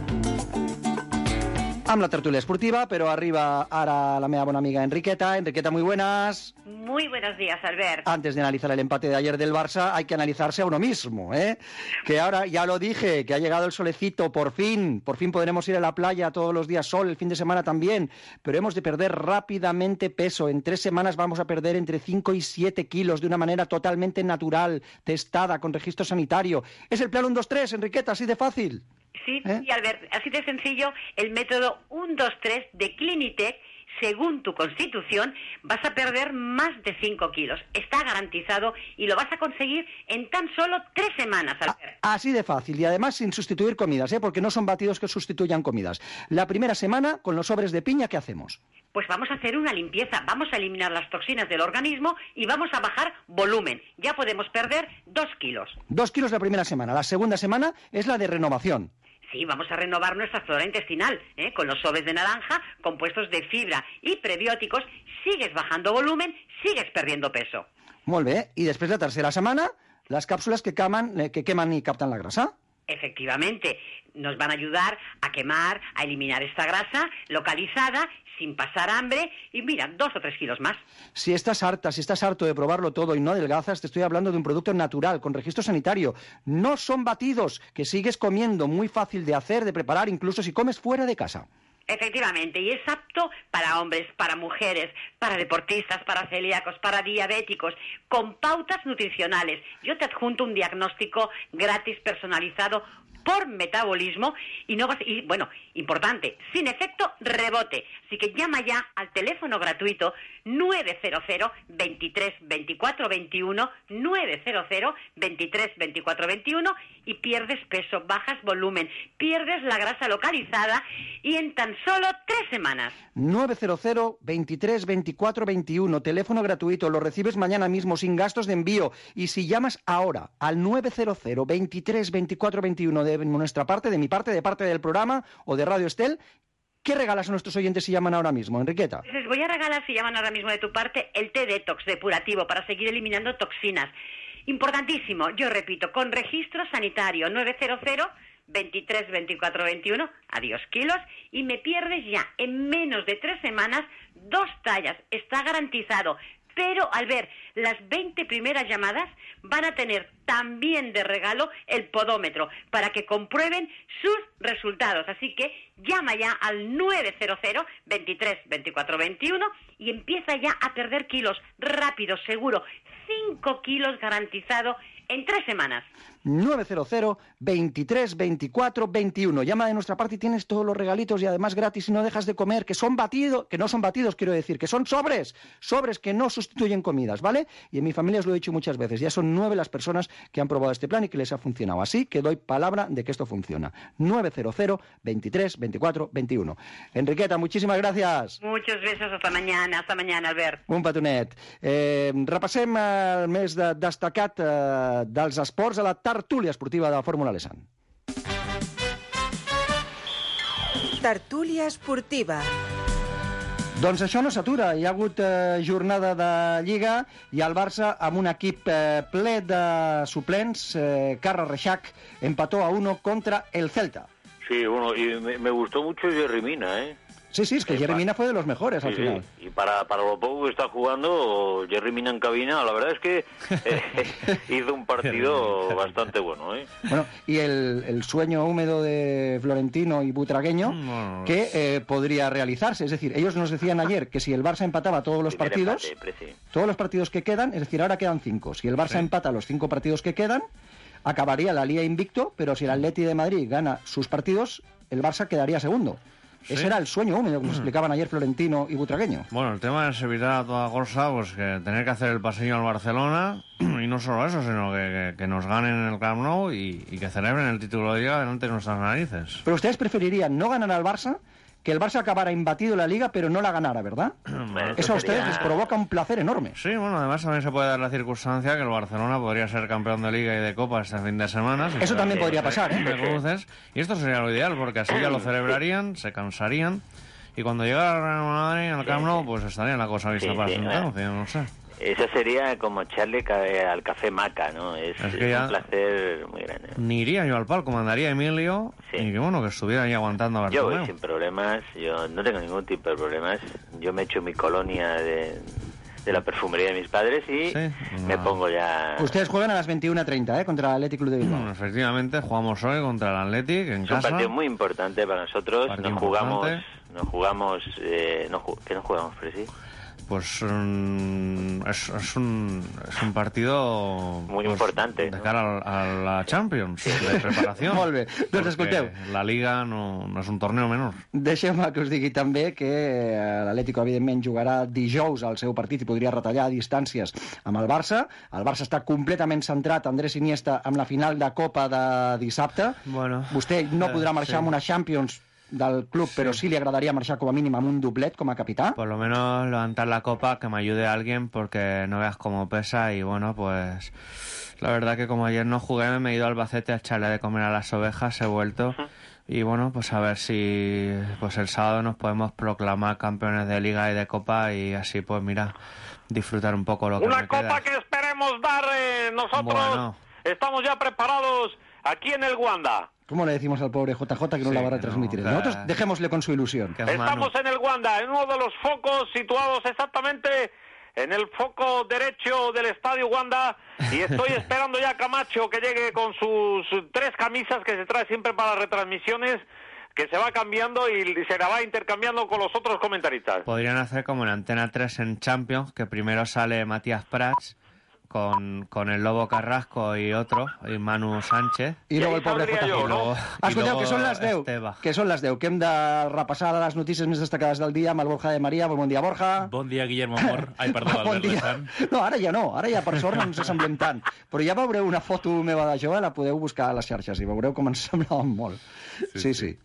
Amb la tertúlia esportiva, però arriba ara la meva bona amiga Enriqueta. Enriqueta, muy buenas. Muy buenos días, Albert. Antes de analizar el empate de ayer del Barça, hay que analizarse a uno mismo, ¿eh? Que ahora, ya lo dije, que ha llegado el solecito, por fin. Por fin podremos ir a la playa todos los días, sol, el fin de semana también. Pero hemos de perder rápidamente peso. En tres semanas vamos a perder entre cinco y siete kilos de una manera totalmente natural, testada, con registro sanitario. Es el plan uno dos tres, Enriqueta, así de fácil. Sí, ¿Eh? sí, Albert, así de sencillo, el método uno dos tres de Clinitec según tu constitución, vas a perder más de cinco kilos. Está garantizado y lo vas a conseguir en tan solo tres semanas, Albert. Así de fácil, y además sin sustituir comidas, ¿eh? Porque no son batidos que sustituyan comidas. La primera semana, con los sobres de piña, ¿qué hacemos? Pues vamos a hacer una limpieza, vamos a eliminar las toxinas del organismo y vamos a bajar volumen. Ya podemos perder dos kilos. Dos kilos la primera semana. La segunda semana es la de renovación. Sí, vamos a renovar nuestra flora intestinal, ¿eh? Con los sobres de naranja, compuestos de fibra y prebióticos, sigues bajando volumen, sigues perdiendo peso. Molt bé. Y después la tercera semana, las cápsulas que queman, eh, que queman y captan la grasa. Efectivamente, nos van a ayudar a quemar, a eliminar esta grasa localizada, sin pasar hambre, y mira, dos o tres kilos más. Si estás harta, si estás harto de probarlo todo y no adelgazas, te estoy hablando de un producto natural, con registro sanitario. No son batidos, que sigues comiendo, muy fácil de hacer, de preparar, incluso si comes fuera de casa. Efectivamente, y es apto para hombres, para mujeres, para deportistas, para celíacos, para diabéticos, con pautas nutricionales. Yo te adjunto un diagnóstico gratis personalizado por metabolismo y no vas, y bueno, importante, sin efecto rebote. Así que llama ya al teléfono gratuito nueve cero cero, veintitrés, veinticuatro, veintiuno, nueve cero cero, veintitrés, veinticuatro, veintiuno y pierdes peso, bajas volumen, pierdes la grasa localizada y en tan solo tres semanas. nueve cero cero, veintitrés, veinticuatro, veintiuno, teléfono gratuito, lo recibes mañana mismo sin gastos de envío. Y si llamas ahora al nueve cero cero, veintitrés, veinticuatro, veintiuno de nuestra parte, de mi parte, de parte del programa o de Radio Estel, ¿qué regalas a nuestros oyentes si llaman ahora mismo, Enriqueta? Les voy a regalar, si llaman ahora mismo de tu parte, el té detox depurativo para seguir eliminando toxinas. Importantísimo, yo repito, con registro sanitario nueve cero cero, veintitrés, veinticuatro, veintiuno, adiós kilos, y me pierdes ya en menos de tres semanas dos tallas, está garantizado. Pero, al ver, las veinte primeras llamadas van a tener también de regalo el podómetro para que comprueben sus resultados. Así que llama ya al nueve cero cero, veintitrés, veinticuatro, veintiuno y empieza ya a perder kilos rápido, seguro. cinco kilos garantizado en tres semanas. nueve cero cero, veintitrés, veinticuatro, veintiuno. Llama de nuestra parte y tienes todos los regalitos y además gratis y no dejas de comer, que son batidos, que no son batidos, quiero decir, que son sobres, sobres que no sustituyen comidas, ¿vale? Y en mi familia os lo he dicho muchas veces, ya son nueve las personas que han probado este plan y que les ha funcionado. Así que doy palabra de que esto funciona. nueve cero cero, veintitrés, veinticuatro, veintiuno. Enriqueta, muchísimas gracias. Muchos besos, hasta mañana, hasta mañana, Albert. Un petonet. Eh, repassem el més de, destacat eh, dels esports a la tertúlia esportiva de la Fórmula Lesan. Tertúlia esportiva. Doncs això no s'atura. Hi ha hagut eh, jornada de Lliga i el Barça, amb un equip eh, ple de suplents, eh, Carles Reixac, empató a uno contra el Celta. Sí, bueno, y me, me gustó mucho Jerry Mina, ¿eh? Sí, sí, es que Jerry Mina fue de los mejores sí, al final. Sí. Y para, para lo poco que está jugando, Jerry Mina en cabina, la verdad es que eh, hizo un partido bastante bueno, ¿eh? Bueno, y el, el sueño húmedo de Florentino y Butragueño, no. que eh, podría realizarse. Es decir, ellos nos decían ayer que si el Barça empataba todos los Primer partidos, empate, todos los partidos que quedan, es decir, ahora quedan cinco. Si el Barça sí. empata los cinco partidos que quedan, acabaría la Liga invicto, pero si el Atleti de Madrid gana sus partidos, el Barça quedaría segundo. ¿Sí? Ese era el sueño húmedo que nos explicaban ayer Florentino y Butragueño. Bueno, el tema es evitar a toda costa pues, que tener que hacer el pasillo al Barcelona, y no solo eso, sino que, que, que nos ganen en el Camp Nou y, y que celebren el título de Liga delante de nuestras narices. Pero ustedes preferirían no ganar al Barça, que el Barça acabara imbatido la Liga, pero no la ganara, ¿verdad? Bueno, eso a ustedes sería... les provoca un placer enorme. Sí, bueno, además también se puede dar la circunstancia que el Barcelona podría ser campeón de Liga y de Copa este fin de semana. Si eso también podría pasar, ¿eh? De cruces, y esto sería lo ideal, porque así ya lo celebrarían, se cansarían, y cuando llegara el Real Madrid en el Camp Nou, pues estaría la cosa vista sí, para sí, sentencia, no sé. Eso sería como echarle al café Maca, ¿no? Es, es, que es un placer muy grande. Ni iría yo al palco, mandaría a Emilio sí. y que bueno, que estuviera ahí aguantando a Bartomeu. Yo voy sin problemas, yo no tengo ningún tipo de problemas. Yo me echo mi colonia de, de la perfumería de mis padres y sí, no. me pongo ya... Ustedes juegan a las veintiuna treinta, ¿eh? Contra el Athletic Club de Bilbao. Bueno, efectivamente, jugamos hoy contra el Athletic en es casa. Es un partido muy importante para nosotros. Partido nos jugamos... Nos jugamos... Eh, no, ¿Qué nos jugamos, Presi? pues mm, es, es, un, es un partido muy pues, importante, de ¿no? cara a, a la Champions, de preparació. Molt bé, doncs escolteu. La Liga no, no és un torneo menor. Deixeu-me que us digui també que l'Atlético, evidentment, jugarà dijous al seu partit i podria retallar distàncies amb el Barça. El Barça està completament centrat, Andrés Iniesta, amb la final de Copa de dissabte. Bueno, Vostè no podrà marxar sí. amb una Champions del club, sí. Però sí li agradaría marxar com a mínim amb un doblet com a capità. Por lo menos levantar la copa, que me ayude a alguien, porque no veas cómo pesa. Y bueno, pues la verdad que como ayer no jugué, me he ido al Albacete a echarle de comer a las ovejas, he vuelto. Uh-huh. Y bueno, pues a ver si pues el sábado nos podemos proclamar campeones de Liga y de Copa, y así pues mira, disfrutar un poco lo que Una me copa queda. que esperemos dar eh, nosotros. Bueno. Estamos ya preparados aquí en el Wanda. ¿Cómo le decimos al pobre J J que no Sí, la va a retransmitir? no, Nosotros que- dejémosle con su ilusión. Estamos en el Wanda, en uno de los focos situados exactamente en el foco derecho del Estadio Wanda, y estoy esperando ya a Camacho que llegue con sus tres camisas que se trae siempre para las retransmisiones, que se va cambiando y se la va intercambiando con los otros comentaristas. Podrían hacer como en Antena tres en Champions, que primero sale Matías Prats con, con el Lobo Carrasco y otro, y Manu Sánchez. I luego el pobre J J. Y luego- Ah, y escolteu, luego que són les deu. Esteba. Que són les deu. Que hem de repassar les notícies més destacades del dia amb el Borja de Maria. Bon dia, Borja. Bon dia, Guillermo Amor. Ai, perdó, Bon Albert dia. Lezán. No, ara ja no. Ara ja, per sort, no ens assemblem tant. Però ja veureu una foto meva de jove, la podeu buscar a les xarxes i veureu com ens semblàvem molt. Sí, sí.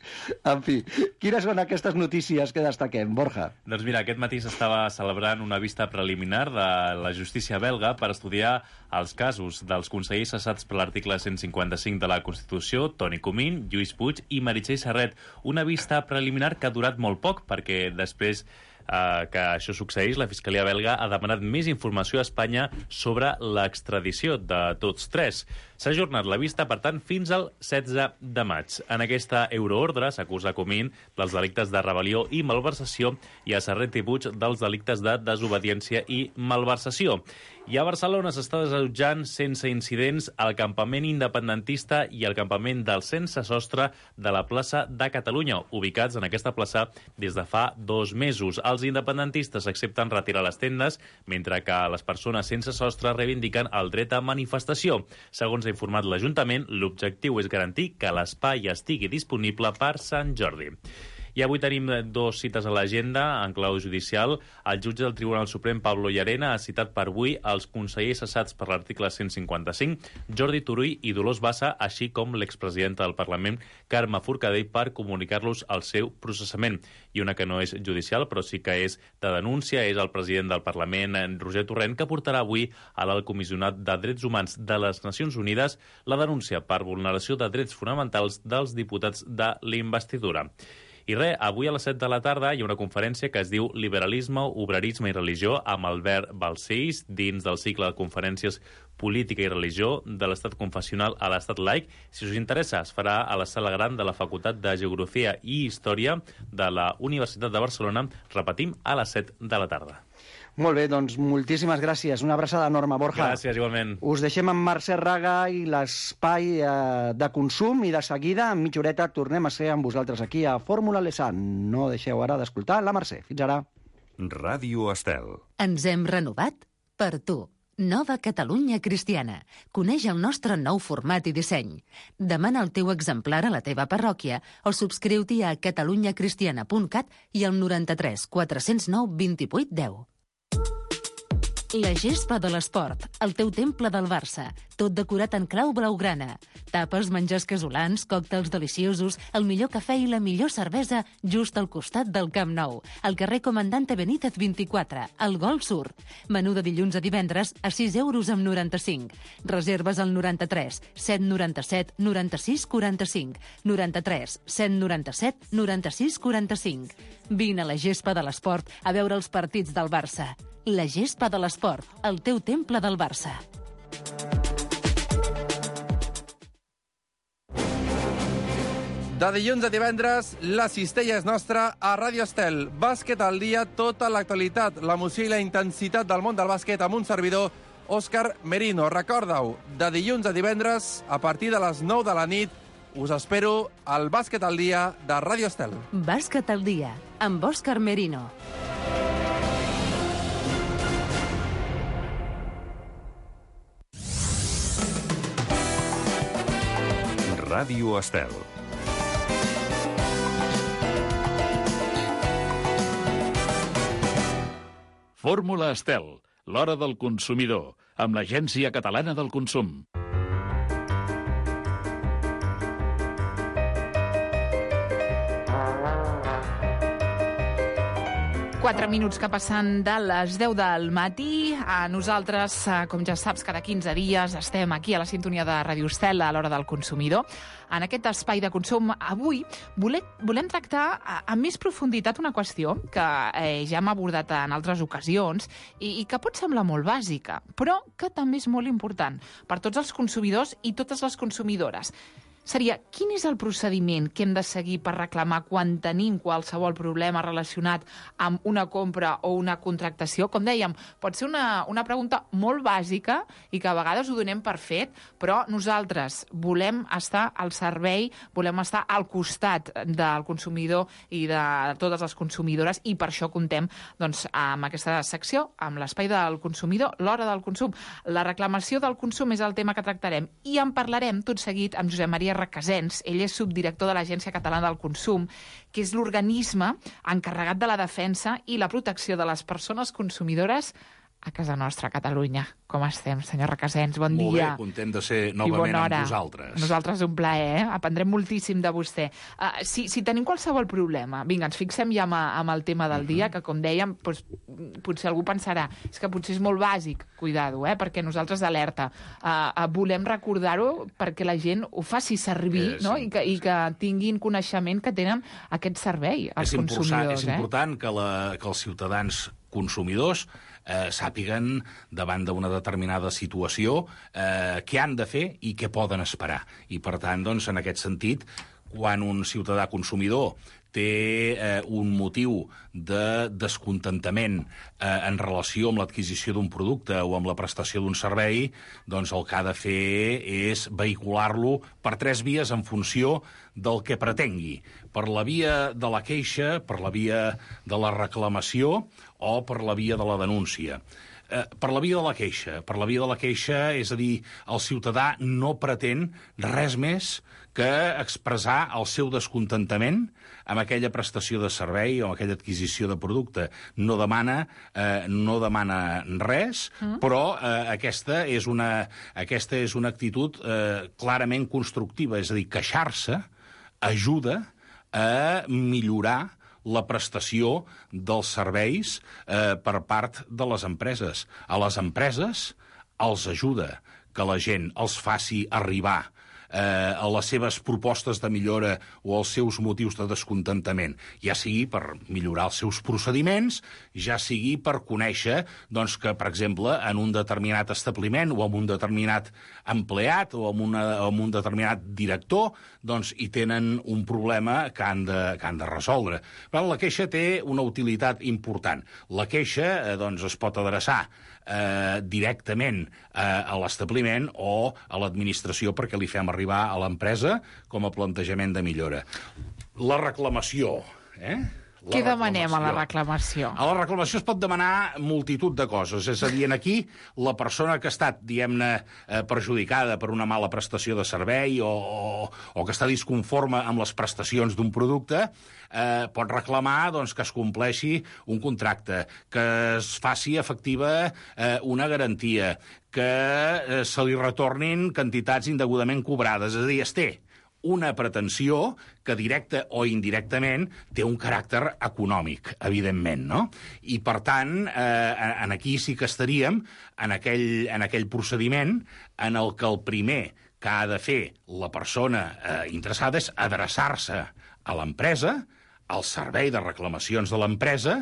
En fi, quines són aquestes notícies que destaquem, Borja? Doncs mira, aquest matí s'estava celebrant una vista preliminar de la justícia belga per estudiar els casos dels consellers cessats per l'article cent cinquanta-cinc de la Constitució, Toni Comín, Lluís Puig i Meritxell Serret. Una vista preliminar que ha durat molt poc, perquè després eh, que això succeeix, la Fiscalia belga ha demanat més informació a Espanya sobre l'extradició de tots tres. S'ha ajornat la vista, per tant, fins al setze de maig. En aquesta euroordre s'acusa Comín dels delictes de rebel·lió i malversació i a Serret i Puig dels delictes de desobediència i malversació. I a Barcelona s'està desallotjant sense incidents el campament independentista i el campament del sense sostre de la plaça de Catalunya, ubicats en aquesta plaça des de fa dos mesos. Els independentistes accepten retirar les tendes, mentre que les persones sense sostre reivindiquen el dret a manifestació. Segons ha informat l'Ajuntament, l'objectiu és garantir que l'espai estigui disponible per Sant Jordi. I avui tenim dos cites a l'agenda en clau judicial. El jutge del Tribunal Suprem, Pablo Llarena, ha citat per avui els consellers cessats per l'article cent cinquanta-cinc, Jordi Turull i Dolors Bassa, així com l'expresidenta del Parlament, Carme Forcadell, per comunicar-los el seu processament. I una que no és judicial, però sí que és de denúncia, és el president del Parlament, Roger Torrent, que portarà avui a l'Alt Comissionat de Drets Humans de les Nacions Unides la denúncia per vulneració de drets fonamentals dels diputats de l'investidura. I res, avui a les set de la tarda hi ha una conferència que es diu Liberalisme, Obrerisme i Religió amb Albert Balcells dins del cicle de conferències Política i Religió de l'estat confessional a l'estat laic. Si us interessa, es farà a la sala gran de la Facultat de Geografia i Història de la Universitat de Barcelona, repetim, a les set de la tarda. Molt bé, doncs moltíssimes gràcies. Una abraçada enorme, Borja. Gràcies, igualment. Us deixem amb Mercè Raga i l'espai eh, de consum i de seguida, en mitja horeta, tornem a ser amb vosaltres aquí a Fórmula Lesan. No deixeu ara d'escoltar la Mercè. Fins ara. Ràdio Estel. Ens hem renovat per tu. Nova Catalunya Cristiana. Coneix el nostre nou format i disseny. Demana el teu exemplar a la teva parròquia o subscriu-t'hi a catalunya cristiana punt cat i al noranta-tres quatre-cents nou vint-i-vuit deu. La gespa de l'esport, el teu temple del Barça, tot decorat en clau blaugrana. Tapes, menjars casolans, còctels deliciosos, el millor cafè i la millor cervesa just al costat del Camp Nou, al carrer Comandante Benítez vint-i-quatre, al Golf Sur. Menú de dilluns a divendres a sis euros amb noranta-cinc. Reserves al noranta-tres set noranta-set noranta-sis quaranta-cinc, noranta-tres set noranta-set noranta-sis quaranta-cinc. Vine a la gespa de l'esport a veure els partits del Barça. La gespa de l'esport, el teu temple del Barça. De dilluns a divendres, la cistella és nostra a Ràdio Estel. Bàsquet al dia, tota l'actualitat, l'emoció i la intensitat del món del bàsquet amb un servidor, Òscar Merino. Recorda-ho, de dilluns a divendres, a partir de les nou de la nit, us espero al Bàsquet al dia de Ràdio Estel. Bàsquet al dia, amb Òscar Merino. Ràdio Estel. Fórmula Estel, l'hora del consumidor, amb l'Agència Catalana del Consum. Quatre minuts que passen de les deu del matí. A nosaltres, com ja saps, cada quinze dies estem aquí a la sintonia de Ràdio Estel a l'hora del consumidor. En aquest espai de consum, avui volem, volem tractar amb més profunditat una qüestió que eh, ja hem abordat en altres ocasions i, i que pot semblar molt bàsica, però que també és molt important per tots els consumidors i totes les consumidores. Seria, quin és el procediment que hem de seguir per reclamar quan tenim qualsevol problema relacionat amb una compra o una contractació? Com dèiem, pot ser una, una pregunta molt bàsica i que a vegades ho donem per fet, però nosaltres volem estar al servei, volem estar al costat del consumidor i de totes les consumidores, i per això contem doncs, amb aquesta secció, amb l'espai del consumidor, l'hora del consum. La reclamació del consum és el tema que tractarem i en parlarem tot seguit amb Josep Maria Recasens. Ell és subdirector de l'Agència Catalana del Consum, que és l'organisme encarregat de la defensa i la protecció de les persones consumidores a casa nostra, a Catalunya. Com estem, senyor Recasens? Bon Molt dia. Molt bé, content de ser novament amb vosaltres. Nosaltres un plaer, eh? Aprendrem moltíssim de vostè. Uh, si, si tenim qualsevol problema, vinga, ens fixem ja amb, amb el tema del dia, que com dèiem, doncs, potser algú pensarà, és que potser és molt bàsic, cuidado, eh? Perquè nosaltres d'alerta uh, uh, volem recordar-ho perquè la gent ho faci servir, eh, sí, no? I que, i que tinguin coneixement que tenen aquest servei, els és consumidors. És eh? important que, la, que els ciutadans consumidors eh, sàpiguen davant d'una determinada situació eh, què han de fer i què poden esperar. I, per tant, doncs, en aquest sentit, quan un ciutadà consumidor té eh, un motiu de descontentament eh, en relació amb l'adquisició d'un producte o amb la prestació d'un servei, doncs el que ha de fer és vehicular-lo per tres vies en funció del que pretengui. Per la via de la queixa, per la via de la reclamació o per la via de la denúncia. Eh, per la via de la queixa. Per la via de la queixa, és a dir, el ciutadà no pretén res més que expressar el seu descontentament amb aquella prestació de servei o amb aquella adquisició de producte. No demana, eh, no demana res, mm. però eh, aquesta, és una, aquesta és una actitud eh, clarament constructiva, és a dir, queixar-se ajuda a millorar la prestació dels serveis eh, per part de les empreses. A les empreses els ajuda que la gent els faci arribar eh, a les seves propostes de millora o als seus motius de descontentament, ja sigui per millorar els seus procediments, ja sigui per conèixer doncs, que, per exemple, en un determinat establiment o amb un determinat empleat o amb, una, amb un determinat director, doncs hi tenen un problema que han de, que han de resoldre. Però la queixa té una utilitat important. La queixa eh, doncs, es pot adreçar eh, directament eh, a l'establiment o a l'administració perquè li fem arribar a l'empresa com a plantejament de millora. La reclamació, eh? La Què demanem a la reclamació? A la reclamació es pot demanar multitud de coses. És a dir, aquí, la persona que ha estat, diguem-ne, eh, perjudicada per una mala prestació de servei o, o, o que està disconforme amb les prestacions d'un producte, eh, pot reclamar doncs, que es compleixi un contracte, que es faci efectiva eh, una garantia, que eh, se li retornin quantitats indegudament cobrades. És a dir, es té una pretensió que directa o indirectament té un caràcter econòmic, evidentment, no? I, per tant, eh, en aquí sí que estaríem en aquell, en aquell procediment en el que el primer que ha de fer la persona eh, interessada és adreçar-se a l'empresa, al servei de reclamacions de l'empresa,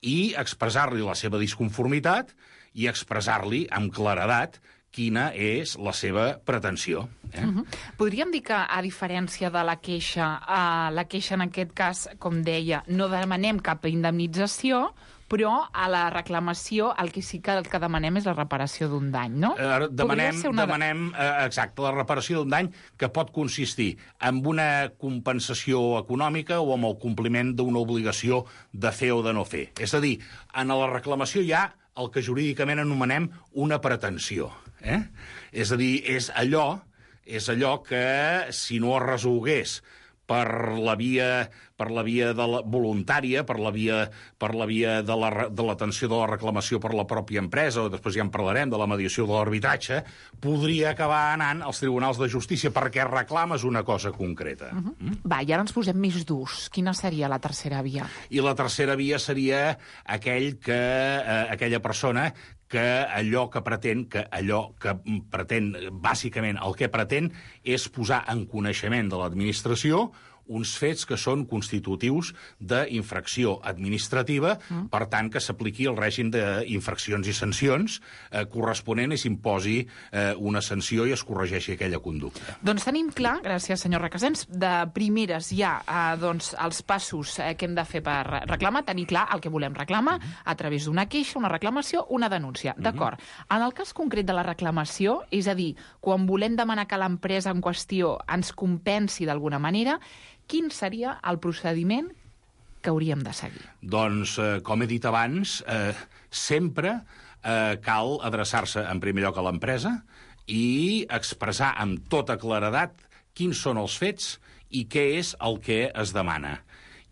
i expressar-li la seva disconformitat i expressar-li amb claredat quina és la seva pretensió. Eh? Uh -huh. Podríem dir que, a diferència de la queixa, uh, la queixa en aquest cas, com deia, no demanem cap indemnització, però a la reclamació el que sí que, el que demanem és la reparació d'un dany, no? Eh, demanem, una... demanem eh, exacte, la reparació d'un dany que pot consistir en una compensació econòmica o amb el compliment d'una obligació de fer o de no fer. És a dir, en la reclamació hi ha el que jurídicament anomenem una pretensió. Eh? És a dir, és allò, és allò que, si no es resolgués per la via, per la via de la voluntària, per la via, per la via de la, de l'atenció de la reclamació per la pròpia empresa, o després ja en parlarem, de la mediació de l'arbitratge, podria acabar anant als tribunals de justícia perquè reclames una cosa concreta. Uh -huh. mm? Va, i ara ens posem més durs. Quina seria la tercera via? I la tercera via seria aquell que, eh, aquella persona que allò que pretén, que allò que pretén, bàsicament el que pretén, és posar en coneixement de l'administració uns fets que són constitutius d'infracció administrativa, mm. per tant, que s'apliqui el règim d'infraccions i sancions eh, corresponent i s'imposi eh, una sanció i es corregeixi aquella conducta. Doncs tenim clar, gràcies senyor Recasens, de primeres ja eh, doncs, els passos eh, que hem de fer per reclamar, tenir clar el que volem reclamar mm. a través d'una queixa, una reclamació, una denúncia. Mm-hmm. D'acord. En el cas concret de la reclamació, és a dir, quan volem demanar que l'empresa en qüestió ens compensi d'alguna manera, quin seria el procediment que hauríem de seguir? Doncs, eh, com he dit abans, eh, sempre eh, cal adreçar-se en primer lloc a l'empresa i expressar amb tota claredat quins són els fets i què és el que es demana.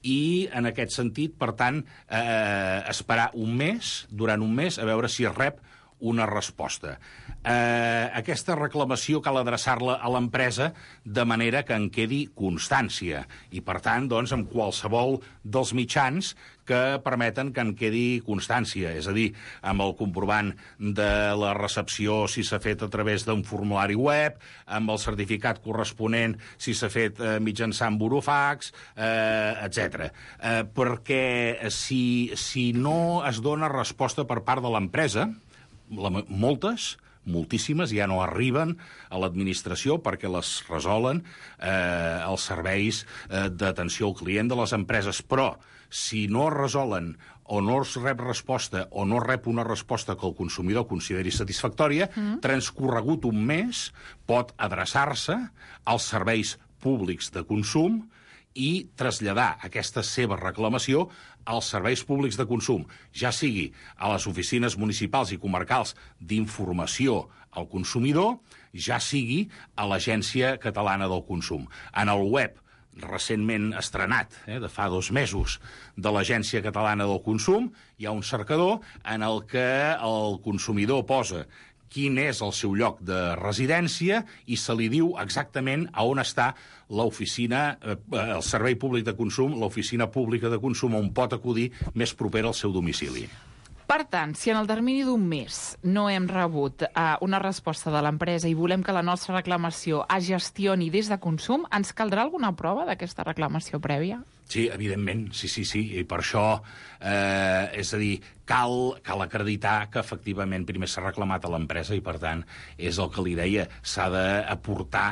I, en aquest sentit, per tant, eh, esperar un mes, durant un mes, a veure si es rep una resposta. Eh, aquesta reclamació cal adreçar-la a l'empresa de manera que en quedi constància i, per tant, doncs, amb qualsevol dels mitjans que permeten que en quedi constància, és a dir, amb el comprovant de la recepció si s'ha fet a través d'un formulari web, amb el certificat corresponent si s'ha fet eh, mitjançant burofax, eh, etcètera. Eh, perquè si, si no es dona resposta per part de l'empresa, la, moltes, moltíssimes, ja no arriben a l'administració perquè les resolen eh, els serveis eh, d'atenció al client de les empreses. Però, si no es resolen o no es rep resposta o no rep una resposta que el consumidor consideri satisfactòria, mm. transcorregut un mes pot adreçar-se als serveis públics de consum i traslladar aquesta seva reclamació als serveis públics de consum, ja sigui a les oficines municipals i comarcals d'informació al consumidor, ja sigui a l'Agència Catalana del Consum. En el web recentment estrenat, eh, de fa dos mesos, de l'Agència Catalana del Consum, hi ha un cercador en el que el consumidor posa quin és el seu lloc de residència i se li diu exactament a on està l'oficina, eh, el servei públic de consum, l'oficina pública de consum on pot acudir més propera al seu domicili. Per tant, si en el termini d'un mes no hem rebut eh, una resposta de l'empresa i volem que la nostra reclamació es gestioni des de consum, ens caldrà alguna prova d'aquesta reclamació prèvia? Sí, evidentment, sí, sí, sí, i per això, eh, és a dir, cal, cal acreditar que efectivament primer s'ha reclamat a l'empresa i, per tant, és el que li deia, s'ha d'aportar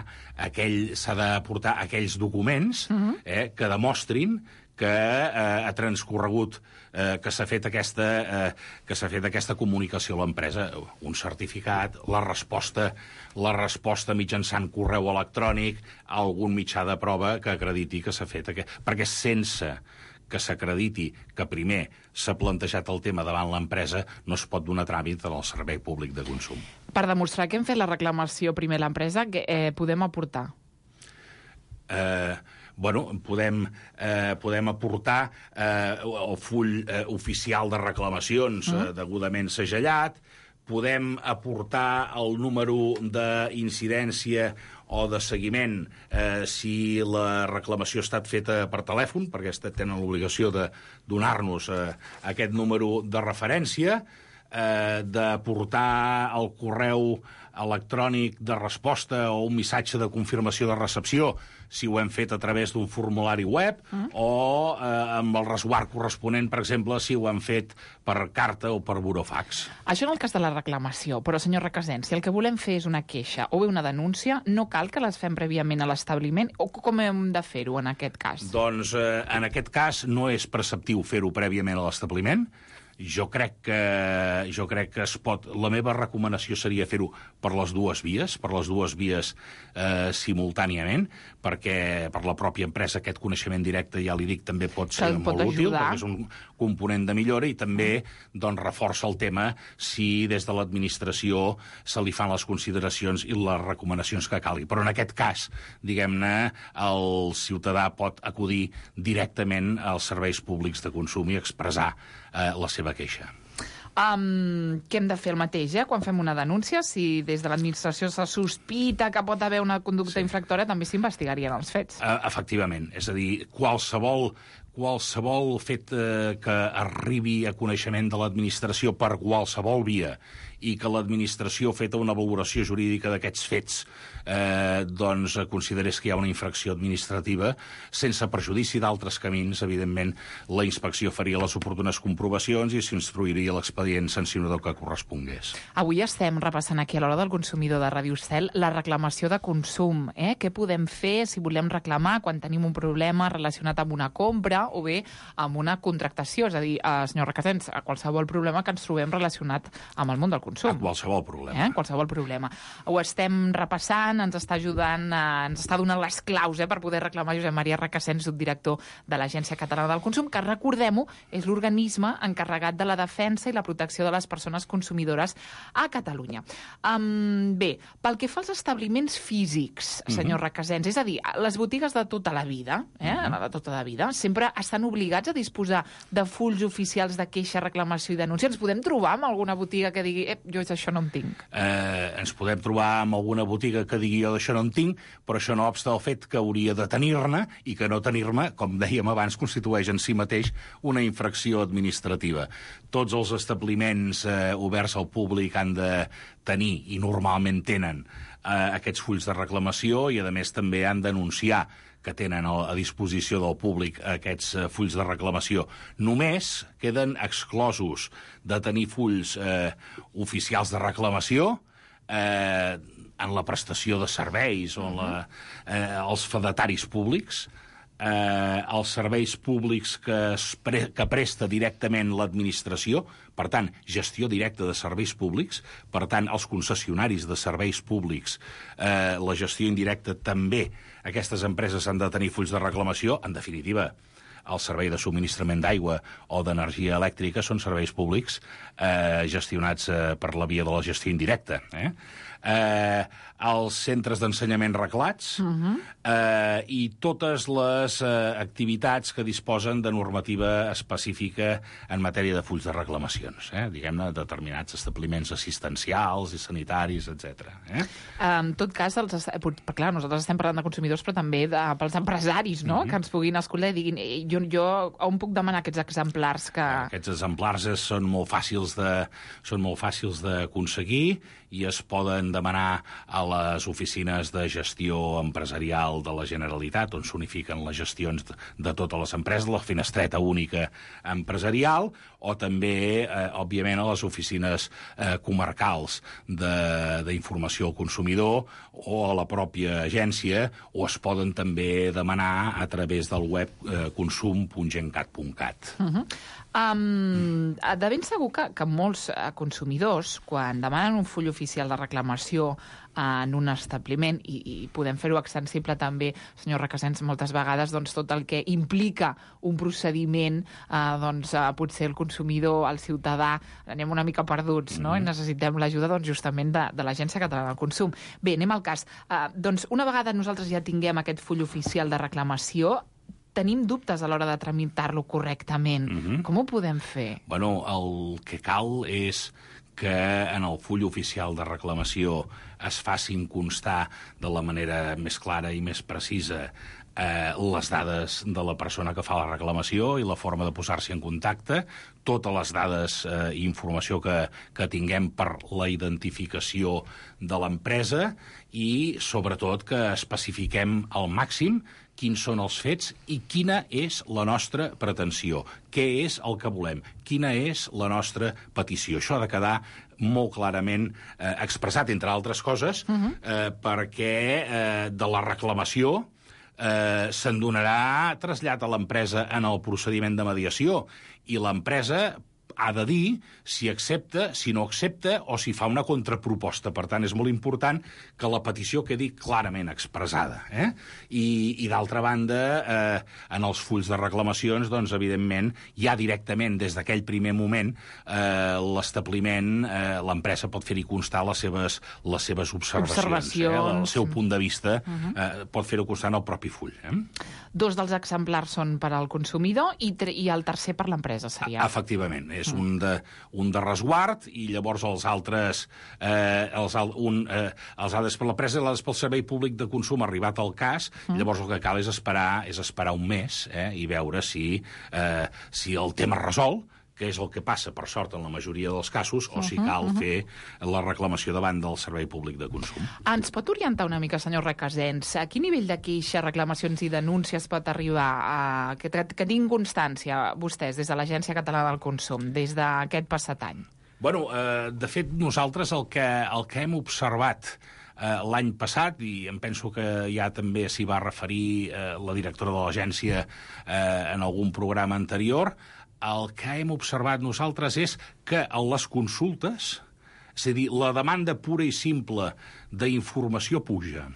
aquell, s'ha d'aportar aquells documents uh-huh. eh, que demostrin que eh, ha transcorregut, eh, que s'ha fet aquesta, eh, que s'ha fet aquesta comunicació a l'empresa, un certificat, la resposta, la resposta mitjançant correu electrònic, algun mitjà de prova que acrediti que s'ha fet aquest... Perquè sense que s'acrediti que primer s'ha plantejat el tema davant l'empresa, no es pot donar tràmit al servei públic de consum. Per demostrar que hem fet la reclamació primer a l'empresa, què eh, podem aportar? Eh... Bueno, podem, eh, podem aportar eh, el full eh, oficial de reclamacions eh, degudament segellat, podem aportar el número d'incidència o de seguiment eh, si la reclamació ha estat feta per telèfon, perquè tenen l'obligació de donar-nos eh, aquest número de referència, eh, d'aportar el correu electrònic de resposta o un missatge de confirmació de recepció si ho hem fet a través d'un formulari web mm. o eh, amb el resguard corresponent, per exemple, si ho hem fet per carta o per burofax. Això en el cas de la reclamació, però, senyor Recasens, si el que volem fer és una queixa o bé una denúncia, no cal que les fem prèviament a l'establiment, o com hem de fer-ho en aquest cas? Doncs, eh, en aquest cas, no és preceptiu fer-ho prèviament a l'establiment, jo crec que, jo crec que es pot... La meva recomanació seria fer-ho per les dues vies, per les dues vies eh, simultàniament, perquè per la pròpia empresa aquest coneixement directe, ja li dic, també pot ser pot molt útil, ajudar. perquè és un component de millora i també doncs, reforça el tema si des de l'administració se li fan les consideracions i les recomanacions que calgui. Però en aquest cas, diguem-ne, el ciutadà pot acudir directament als serveis públics de consum i expressar eh, la seva queixa. Um, què hem de fer el mateix, eh? Quan fem una denúncia, si des de l'administració se sospita que pot haver una conducta sí. infractòria, també s'investigarien els fets. Uh, efectivament, és a dir, qualsevol qualsevol fet eh, que arribi a coneixement de l'administració per qualsevol via i que l'administració, feta una valoració jurídica d'aquests fets, eh, doncs considerés que hi ha una infracció administrativa, sense perjudici d'altres camins, evidentment, la inspecció faria les oportunes comprovacions i s'instruiria l'expedient sancionador que correspongués. Avui estem repassant aquí a l'Hora del Consumidor de Ràdio Estel la reclamació de consum. Eh? Què podem fer si volem reclamar quan tenim un problema relacionat amb una compra o bé amb una contractació? És a dir, eh, senyor Requesens, a qualsevol problema que ens trobem relacionat amb el món del consum. A qualsevol problema. Eh? Qualsevol problema. Ho estem repassant, ens està ajudant, eh, ens està donant les claus eh, per poder reclamar Josep Maria Requesens, subdirector de l'Agència Catalana del Consum, que, recordem-ho, és l'organisme encarregat de la defensa i la protecció de les persones consumidores a Catalunya. Um, bé, pel que fa als establiments físics, senyor mm-hmm. Requesens, és a dir, les botigues de tota la vida, eh, mm-hmm. de tota la vida, sempre estan obligats a disposar de fulls oficials de queixa, reclamació i denúncia. Ens podem trobar amb alguna botiga que digui eh, jo això no en tinc? Eh, ens podem trobar amb alguna botiga que digui jo d'això no en tinc, però això no obsta el fet que hauria de tenir-ne i que no tenir-ne, com dèiem abans, constitueix en si mateix una infracció administrativa. Tots els establiments eh, oberts al públic han de tenir, i normalment tenen, eh, aquests fulls de reclamació i, a més, també han d'anunciar que tenen a disposició del públic aquests eh, fulls de reclamació. Només queden exclosos de tenir fulls eh, oficials de reclamació eh, en la prestació de serveis o en la, eh, els fedataris públics, eh, els serveis públics que, es pre que presta directament l'administració, per tant, gestió directa de serveis públics, per tant, els concessionaris de serveis públics, eh, la gestió indirecta també, aquestes empreses han de tenir fulls de reclamació, en definitiva, el servei de subministrament d'aigua o d'energia elèctrica són serveis públics eh, gestionats eh, per la via de la gestió indirecta. Eh? Eh, els centres d'ensenyament reglats uh-huh. eh, i totes les eh, activitats que disposen de normativa específica en matèria de fulls de reclamacions, eh? diguem-ne, determinats establiments assistencials i sanitaris, etcètera. Eh? En tot cas, els, clar, nosaltres estem parlant de consumidors, però també de, pels empresaris, no? Uh-huh. que ens puguin escoltar i diguin eh, jo, jo on puc demanar aquests exemplars? Que... Aquests exemplars són molt fàcils de, són molt fàcils d'aconseguir i es poden demanar a les oficines de gestió empresarial de la Generalitat, on s'unifiquen les gestions de totes les empreses, la finestreta única empresarial, o també, eh, òbviament, a les oficines eh, comarcals d'informació al consumidor o a la pròpia agència, o es poden també demanar a través del web eh, consum punt gencat punt cat. Uh-huh. Um, de ben segur que, que molts uh, consumidors, quan demanen un full oficial de reclamació uh, en un establiment, i, i podem fer-ho extensible també, senyor Requesens, moltes vegades doncs, tot el que implica un procediment, uh, doncs, uh, potser el consumidor, el ciutadà, anem una mica perduts, no? Mm-hmm. I necessitem l'ajuda doncs, justament de, de l'Agència Catalana del Consum. Bé, anem al cas. Uh, doncs, una vegada nosaltres ja tinguem aquest full oficial de reclamació, tenim dubtes a l'hora de tramitar-lo correctament. Mm-hmm. Com ho podem fer? Bueno, el que cal és que en el full oficial de reclamació es facin constar de la manera més clara i més precisa eh, les dades de la persona que fa la reclamació i la forma de posar-s'hi en contacte, totes les dades eh, i informació que, que tinguem per la identificació de l'empresa i, sobretot, que especifiquem al màxim quins són els fets i quina és la nostra pretensió, què és el que volem, quina és la nostra petició. Això ha de quedar molt clarament eh, expressat, entre altres coses, uh-huh. eh, perquè eh, de la reclamació eh, se'n donarà trasllat a l'empresa en el procediment de mediació i l'empresa ha de dir si accepta, si no accepta o si fa una contraproposta. Per tant, és molt important que la petició quedi clarament expressada. Eh? I, i d'altra banda, eh, en els fulls de reclamacions, doncs, evidentment, ja directament, des d'aquell primer moment, eh, l'establiment, eh, l'empresa pot fer-hi constar les seves, les seves observacions. Observacions. Eh? El seu punt de vista Uh -huh. eh, pot fer-ho constar en el propi full. Eh? Dos dels exemplars són per al consumidor i, i el tercer per l'empresa, seria. Efectivament, és un de, un de resguard i llavors els altres, eh, els, un, eh, els altres per l'empresa i l'altres pel servei públic de consum arribat al cas, mm. llavors el que cal és esperar, és esperar un mes eh, i veure si, eh, si el tema es resol, que és el que passa, per sort, en la majoria dels casos, o si cal uh -huh. fer la reclamació davant del Servei Públic de Consum. Ens pot orientar una mica, senyor Requesens, a quin nivell de queixa, reclamacions i denúncies pot arribar a... que, que tinguin constància vostès des de l'Agència Catalana del Consum, des d'aquest passat any? Bueno, eh, de fet, nosaltres el que, el que hem observat eh, l'any passat, i em penso que ja també s'hi va referir eh, la directora de l'agència eh, en algun programa anterior, el que hem observat nosaltres és que a les consultes, és a dir, la demanda pura i simple d'informació puja.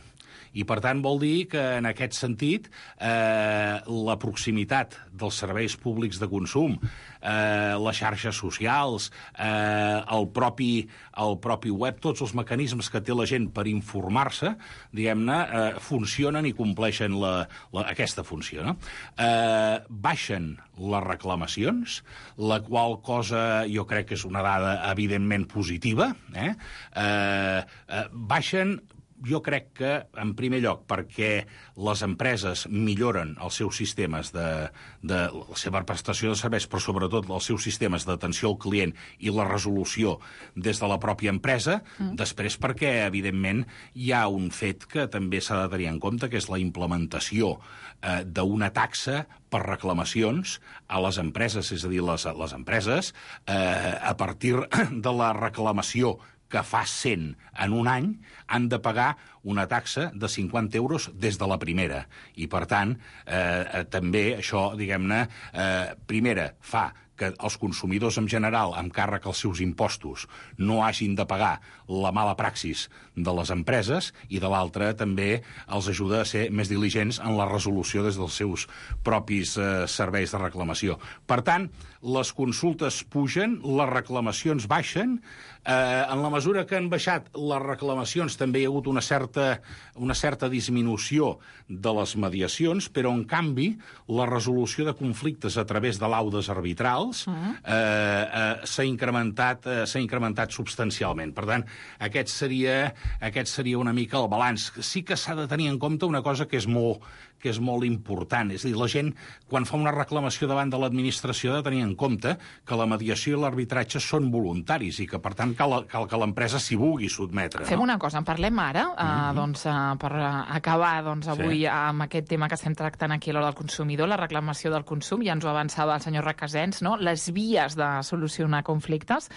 I, per tant, vol dir que, en aquest sentit, eh, la proximitat dels serveis públics de consum, eh, les xarxes socials, eh, el, propi, el propi web, tots els mecanismes que té la gent per informar-se, diguem-ne, eh, funcionen i compleixen la, la, aquesta funció. No? Eh, baixen les reclamacions, la qual cosa jo crec que és una dada evidentment positiva. Eh? Eh, eh, baixen... Jo crec que, en primer lloc, perquè les empreses milloren els seus sistemes de, de la seva prestació de serveis, però sobretot els seus sistemes d'atenció al client i la resolució des de la pròpia empresa, mm. després perquè, evidentment, hi ha un fet que també s'ha de tenir en compte, que és la implementació eh, d'una taxa per reclamacions a les empreses, és a dir, les, les empreses, eh, a partir de la reclamació que fa cent en un any, han de pagar una taxa de cinquanta euros des de la primera. I, per tant, eh, també això, diguem-ne, eh, primera, fa que els consumidors en general, amb càrrec als seus impostos, no hagin de pagar la mala praxis de les empreses, i de l'altra també els ajuda a ser més diligents en la resolució des dels seus propis eh, serveis de reclamació. Per tant, les consultes pugen, les reclamacions baixen, eh, en la mesura que han baixat les reclamacions també hi ha hagut una certa, una certa disminució de les mediacions, però, en canvi, la resolució de conflictes a través de laudes arbitrals uh-huh. eh, eh, s'ha incrementat, eh, s'ha incrementat substancialment. Per tant, aquest seria, aquest seria una mica el balanç. Sí que s'ha de tenir en compte una cosa que és molt, que és molt important. És a dir, la gent, quan fa una reclamació davant de l'administració, ha de tenir en compte que la mediació i l'arbitratge són voluntaris i que, per tant, cal, cal que l'empresa s'hi vulgui sotmetre. Fem no? una cosa, en parlem ara, uh, mm-hmm. doncs, uh, per acabar doncs, avui sí. amb aquest tema que estem tractant aquí a l'hora del consumidor, la reclamació del consum, ja ens ho avançava el senyor Requesens, no? Les vies de solucionar conflictes.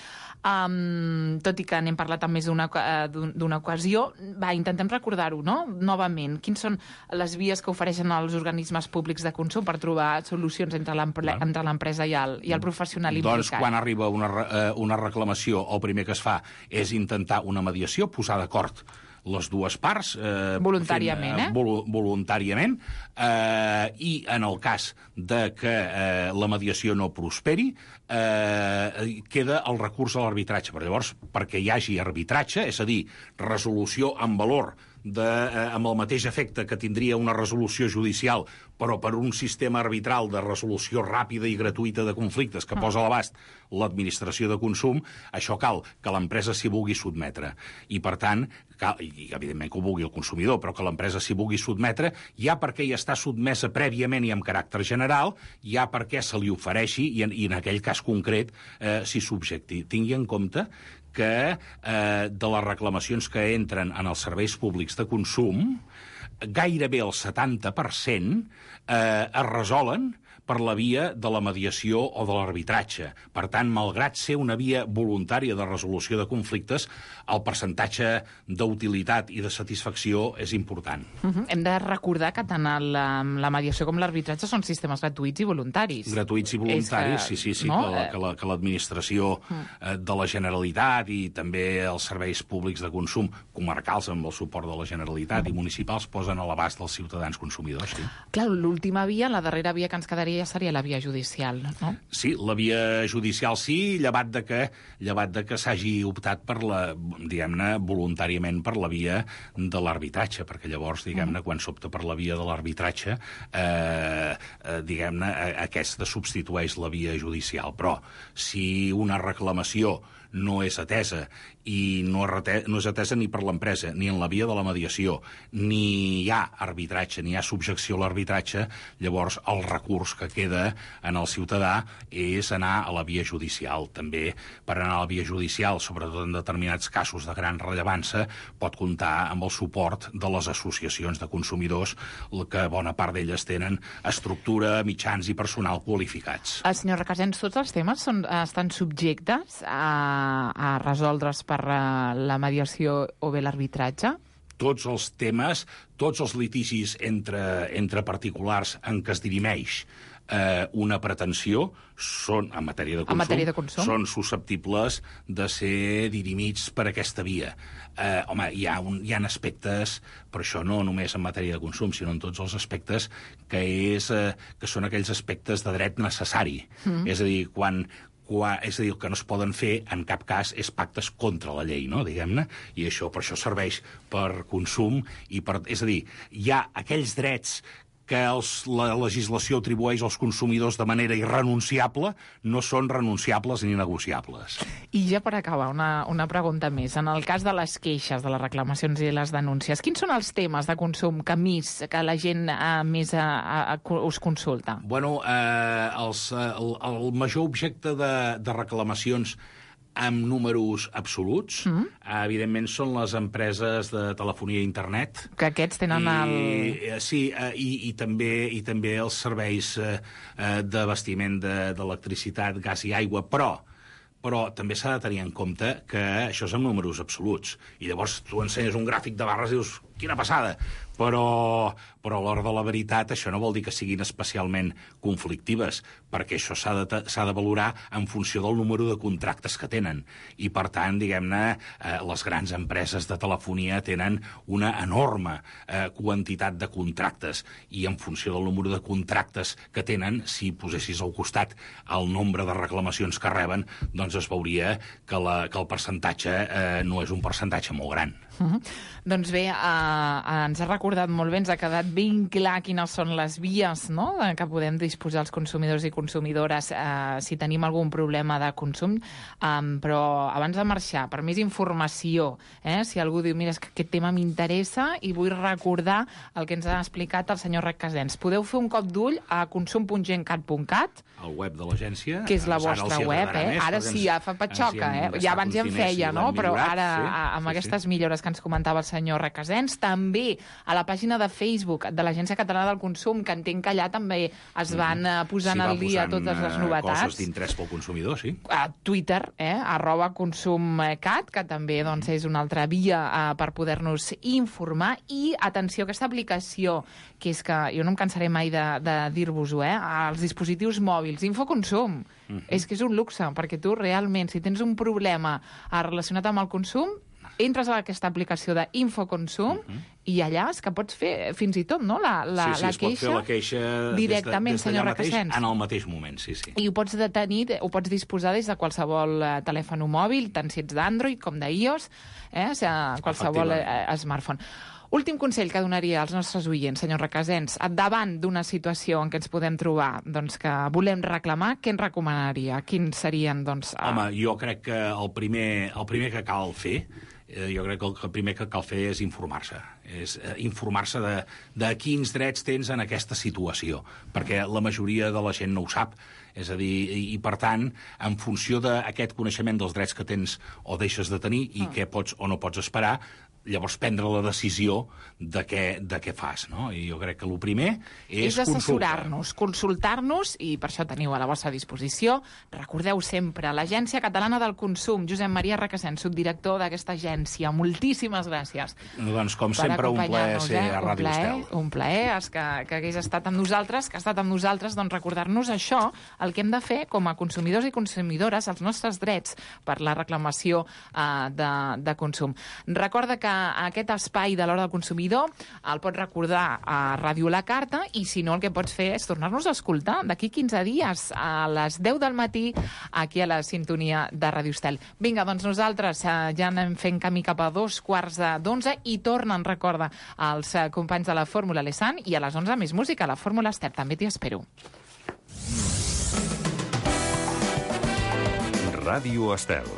Um, tot i que n'hem parlat en més d'una, d'una ocasió, va, intentem recordar-ho, no? Novament, quins són les vies que ofereixen els organismes públics de consum per trobar solucions entre l'empresa i, el, i el professional implicat? Doncs quan arriba una, una reclamació, el primer que es fa és intentar una mediació, posar d'acord les dues parts. Eh, voluntàriament, fent, eh? Vol, voluntàriament. Eh, I en el cas de que eh, la mediació no prosperi, eh, queda el recurs a l'arbitratge. Però llavors, perquè hi hagi arbitratge, és a dir, resolució en valor de, eh, amb el mateix efecte que tindria una resolució judicial, però per un sistema arbitral de resolució ràpida i gratuïta de conflictes que posa a l'abast l'administració de consum, això cal que l'empresa s'hi vulgui sotmetre. I, per tant, cal, i evidentment que ho vulgui el consumidor, però que l'empresa s'hi vulgui sotmetre, ja perquè hi està sotmesa prèviament i amb caràcter general, ja perquè se li ofereixi, i en, i en aquell cas concret eh, s'hi subjecti. Tingui en compte que eh, de les reclamacions que entren en els serveis públics de consum, gairebé el setanta per cent eh, es resolen per la via de la mediació o de l'arbitratge. Per tant, malgrat ser una via voluntària de resolució de conflictes, el percentatge d'utilitat i de satisfacció és important. Uh-huh. Hem de recordar que tant la, la mediació com l'arbitratge són sistemes gratuïts i voluntaris. Gratuïts i voluntaris, que, sí, sí, sí, no? que l'administració la, uh. de la Generalitat i també els serveis públics de consum comarcals amb el suport de la Generalitat uh. i municipals posen a l'abast dels ciutadans consumidors. Sí. Clar, l'última via, la darrera via que ens quedaria ja seria la via judicial, no? Sí, la via judicial sí, llevat de que, llevat de que s'hagi optat per la, diguem-ne, voluntàriament per la via de l'arbitratge, perquè llavors, diguem-ne, quan s'opta per la via de l'arbitratge, eh, eh, diguem-ne, aquesta substitueix la via judicial. Però si una reclamació no és atesa i no, no és atesa ni per l'empresa, ni en la via de la mediació, ni hi ha arbitratge, ni hi ha subjecció a l'arbitratge, llavors el recurs que queda en el ciutadà és anar a la via judicial. També per anar a la via judicial, sobretot en determinats casos de gran rellevància, pot comptar amb el suport de les associacions de consumidors, que bona part d'elles tenen estructura, mitjans i personal qualificats. El senyor Requesens, tots els temes són, estan subjectes a a resoldre's per la mediació o bé l'arbitratge? Tots els temes, tots els litigis entre, entre particulars en què es dirimeix eh, una pretensió són, en matèria de consum, matèria de consum, són susceptibles de ser dirimits per aquesta via. Eh, home, hi ha, un, hi ha aspectes, però això no només en matèria de consum, sinó en tots els aspectes que, és, eh, que són aquells aspectes de dret necessari. Mm. És a dir, quan... Qua, és a dir, el que no es poden fer en cap cas és pactes contra la llei, no? Diguem-ne, i això per això serveix per consum i per... És a dir, hi ha aquells drets que els, la legislació atribueix als consumidors de manera irrenunciable, no són renunciables ni negociables. I ja per acabar, una, una pregunta més. En el cas de les queixes, de les reclamacions i les denúncies, quins són els temes de consum que més, que la gent eh, més a, a, a, us consulta? Bueno, eh, els, el, el major objecte de, de reclamacions amb números absoluts, mm. eh, evidentment són les empreses de telefonia i internet. Que aquests tenen I, el... Sí, eh, i, i, també, i també els serveis eh, d'abastiment d'electricitat, gas i aigua, però però també s'ha de tenir en compte que això és amb números absoluts. I llavors tu ensenyes un gràfic de barres i dius, quina passada! Però, però a l'hora de la veritat això no vol dir que siguin especialment conflictives, perquè això s'ha de, s'ha de valorar en funció del número de contractes que tenen. I, per tant, diguem-ne, eh, les grans empreses de telefonia tenen una enorme eh, quantitat de contractes, i en funció del número de contractes que tenen, si posessis al costat el nombre de reclamacions que reben, doncs es veuria que, la, que el percentatge eh, no és un percentatge molt gran. Uh-huh. Doncs bé, eh, ens ha recordat molt bé, ens ha quedat ben clar quines són les vies, no?, que podem disposar els consumidors i consumidores eh, si tenim algun problema de consum, um, però abans de marxar, per més informació, eh, si algú diu, mira, és que aquest tema m'interessa i vull recordar el que ens ha explicat el senyor Requesens, podeu fer un cop d'ull a consum punt gencat punt cat, el web de l'agència, que és la vostra web, eh? Més, ara sí, ja fa patxoca, eh? Ja abans ja en feia, no? Però ara, sí, amb sí, aquestes sí. millores que ens comentava el senyor Requesens, també a la pàgina de Facebook de l'Agència Catalana del Consum, que entenc que allà també es van mm-hmm. posant sí, al dia totes les novetats. Coses d'interès pel consumidor, sí. A Twitter, eh? arroba consumcat, que també doncs, és una altra via eh, per poder-nos informar. I, atenció, aquesta aplicació, que és que jo no em cansaré mai de, de dir-vos-ho, eh? als dispositius mòbils, Infoconsum. Mm-hmm. És que és un luxe, perquè tu realment, si tens un problema relacionat amb el consum, entres a aquesta aplicació d'Infoconsum uh-huh. i allà és que pots fer fins i tot, no?, la, la, sí, sí, la, queixa, queixa la queixa directament, des de, des senyor Requesens. En el mateix moment, sí, sí. I ho pots detenir, ho pots disposar des de qualsevol uh, telèfon mòbil, tant si ets d'Android com d'iOS, eh, o sigui, qualsevol uh, smartphone. Últim consell que donaria als nostres oients, senyor Requesens, davant d'una situació en què ens podem trobar, doncs, que volem reclamar, què ens recomanaria? Quins serien, doncs... Uh... Home, jo crec que el primer, el primer que cal fer, eh, jo crec que el primer que cal fer és informar-se. És eh, informar-se de, de quins drets tens en aquesta situació, perquè la majoria de la gent no ho sap. És a dir, i, i per tant, en funció d'aquest coneixement dels drets que tens o deixes de tenir i mm. què pots o no pots esperar, llavors prendre la decisió de què, de què fas, no? I jo crec que el primer és, és assessorar-nos, consultar-nos, i per això teniu a la vostra disposició. Recordeu sempre, l'Agència Catalana del Consum, Josep Maria Requesens, subdirector d'aquesta agència. Moltíssimes gràcies. Doncs, com sempre, un plaer ser eh? a Ràdio Estel. Un plaer, és que, que hagués estat amb nosaltres, que ha estat amb nosaltres, doncs recordar-nos això, el que hem de fer com a consumidors i consumidores, els nostres drets per la reclamació eh, de, de consum. Recorda que aquest espai de l'Hora del Consumidor el pots recordar a Ràdio La Carta, i si no el que pots fer és tornar-nos a escoltar d'aquí quinze dies a les deu del matí aquí a la sintonia de Ràdio Estel. Vinga, doncs nosaltres eh, ja anem fent camí cap a dos quarts d'onze i tornen, recorda, els eh, companys de la Fórmula Lesan, i a les onze més música, la Fórmula Estel. També t'hi espero. Ràdio Estel.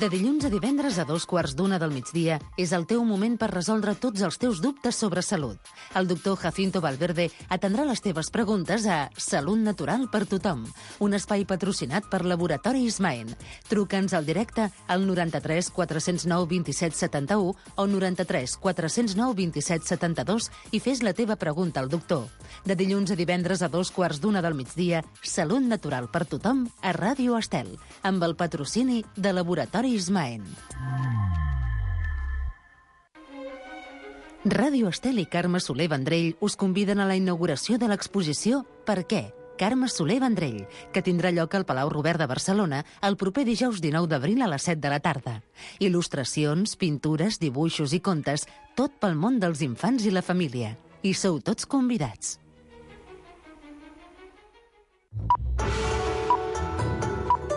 De dilluns a divendres a dos quarts d'una del migdia és el teu moment per resoldre tots els teus dubtes sobre salut. El doctor Jacinto Valverde atendrà les teves preguntes a Salut Natural per Tothom, un espai patrocinat per Laboratori Ismaen. Truca'ns al directe al noranta-tres quatre-cents nou vint-i-set setanta-u o noranta-tres quatre-cents nou vint-i-set setanta-dos i fes la teva pregunta al doctor. De dilluns a divendres a dos quarts d'una del migdia, Salut Natural per Tothom a Ràdio Estel, amb el patrocini de Laboratori Ismaen. Ràdio Estel i Carme Soler Vendrell us conviden a la inauguració de l'exposició Per què? Carme Soler Vendrell, que tindrà lloc al Palau Robert de Barcelona el proper dijous dinou d'abril a les set de la tarda. Il·lustracions, pintures, dibuixos i contes, tot pel món dels infants i la família. I sou tots convidats.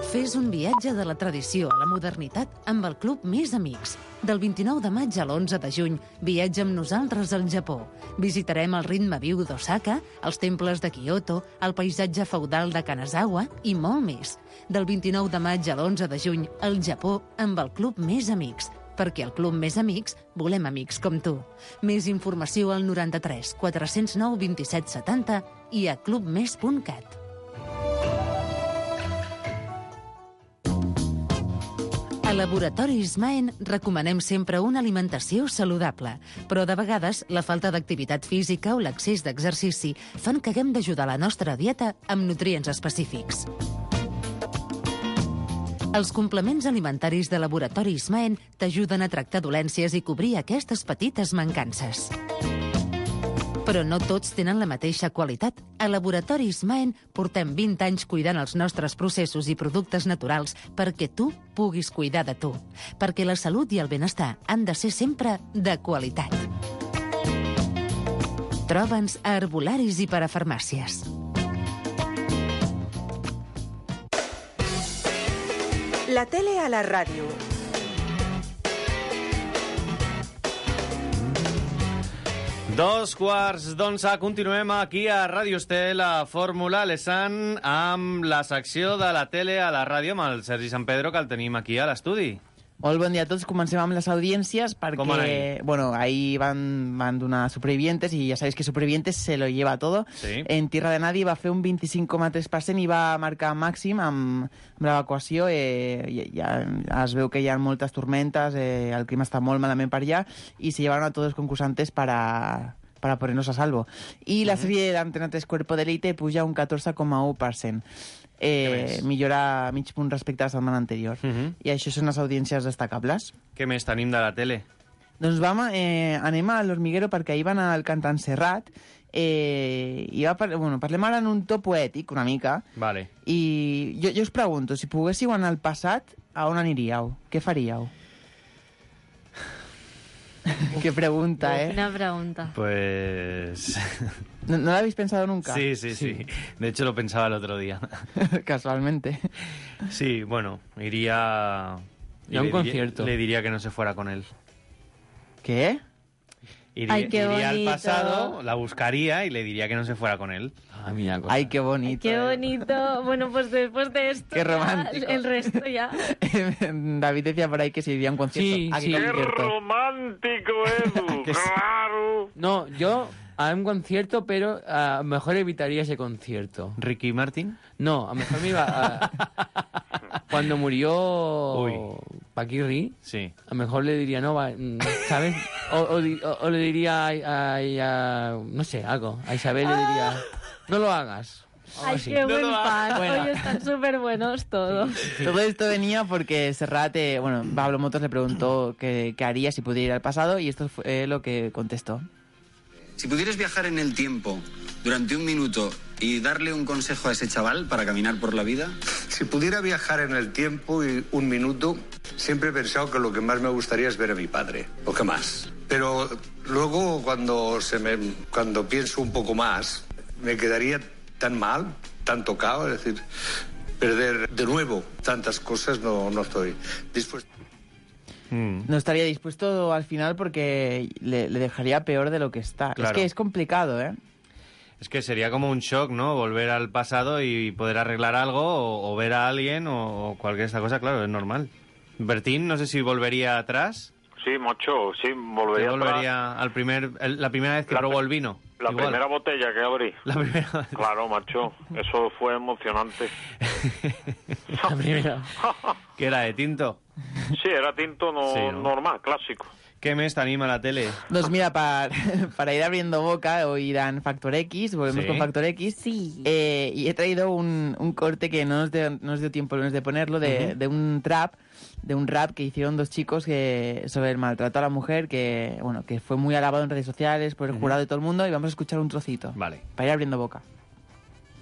Fes un viatge de la tradició a la modernitat amb el Club Més Amics. Del vint-i-nou de maig a l'onze de juny, viatja amb nosaltres al Japó. Visitarem el ritme viu d'Osaka, els temples de Kyoto, el paisatge feudal de Kanazawa i molt més. Del vint-i-nou de maig a l'onze de juny, al Japó amb el Club Més Amics. Perquè al Club Més Amics volem amics com tu. Més informació al noranta-tres quatre-cents nou vint-i-set setanta i a clubmes punt cat. A Laboratori Ismaen recomanem sempre una alimentació saludable, però de vegades la falta d'activitat física o l'excés d'exercici fan que haguem d'ajudar la nostra dieta amb nutrients específics. Els complements alimentaris de Laboratori Ismaen t'ajuden a tractar dolències i cobrir aquestes petites mancances. Però no tots tenen la mateixa qualitat. A Laboratori Ismaen portem vint anys cuidant els nostres processos i productes naturals perquè tu puguis cuidar de tu. Perquè la salut i el benestar han de ser sempre de qualitat. Troba'ns a herbolaris i parafarmàcies. La tele a la ràdio. Dos quarts d'onze, continuem aquí a Ràdio Estel, a Fórmula Lesan, amb la secció de la tele a la ràdio, amb el Sergi Sant Pedro, que el tenim aquí a l'estudi. Molt bon dia a tots. Comencem amb les audiències perquè, bueno, ahí van, van donar Supervivientes y ya sabéis que Supervivientes se lo lleva todo. Sí. En Tierra de Nadie va fer un vint-i-cinc coma tres per cent i va marcar màxim amb, amb l'evacuació. Eh, ja, ja es veu que hi ha moltes tormentes, eh, el clima està molt malament per allà i se llevaron a tots els concursantes para... para ponernos a salvo. Y la serie de Antena tres Cuerpo de Elite puja un catorze coma u per cent. Eh, millora mig punt respecte a la setmana anterior. Uh -huh. I això són les audiències destacables. Què més tenim de la tele? Doncs vam, eh, anem a l'Hormiguero perquè ahir van al cantant Serrat eh, i va par bueno, parlem ara en un to poètic una mica. Vale. I jo, jo us pregunto, si poguéssiu anar al passat, a on aniríeu? Què faríeu? Qué pregunta, ¿eh? Una pregunta. Pues... ¿No, ¿No lo habéis pensado nunca? Sí, sí, sí, sí. De hecho, lo pensaba el otro día. Casualmente. Sí, bueno, iría... Y a un concierto. Le diría que no se fuera con él. ¿Qué? Iría, Ay, qué iría al bonito. pasado, la buscaría y le diría que no se fuera con él. Ah, mira, ay, qué bonito. Qué bonito. Bueno, pues después de esto, Qué romántico. ya, el resto ya. David decía por ahí que se iría a un concierto. Sí, ¿A qué sí. concierto? Romántico, Edu, Que sí. claro. No, yo a un concierto, pero a lo mejor evitaría ese concierto. ¿Ricky Martin? No, a lo mejor me iba a... Cuando murió Paquirri, sí. a lo mejor le diría, no, va, ¿sabes? O, o, o, o le diría a, a, a... no sé, algo. A Isabel le diría, no lo hagas. Ay, qué no buen lo pan. bueno. Hoy están súper buenos todos. Sí. Todo esto venía porque Serrat, eh, bueno, Pablo Motos le preguntó qué, qué haría si pudiera ir al pasado y esto fue lo que contestó. Si pudieras viajar en el tiempo durante un minuto y darle un consejo a ese chaval para caminar por la vida. Si pudiera viajar en el tiempo y un minuto, siempre he pensado que lo que más me gustaría es ver a mi padre, lo que más. Pero luego cuando, se me, cuando pienso un poco más, me quedaría tan mal, tan tocado, es decir, perder de nuevo tantas cosas no, no estoy dispuesto. Mm. No estaría dispuesto al final porque le, le dejaría peor de lo que está. Claro. Es que es complicado, ¿eh? Es que sería como un shock, ¿no? Volver al pasado y poder arreglar algo o, o ver a alguien o, o cualquier esta cosa, claro, es normal. Bertín, no sé si volvería atrás. Sí, macho, sí, volvería, volvería al primer, el, la primera vez que la probó el vino. La Igual. primera botella que abrí. La primera. Claro, macho, eso fue emocionante. La primera. ¿Qué era, de tinto? Sí, era tinto no, Sí, ¿no? normal, clásico. ¿Qué mes te anima la tele? Pues mira, para, para ir abriendo boca, hoy irán Factor X, volvemos ¿Sí? con Factor X. Sí. Eh, y he traído un, un corte que no nos, dio, no nos dio tiempo de ponerlo, de, Uh-huh. de un trap, de un rap que hicieron dos chicos que, sobre el maltrato a la mujer, que bueno que fue muy alabado en redes sociales por el Uh-huh. jurado de todo el mundo, y vamos a escuchar un trocito. Vale. Para ir abriendo boca.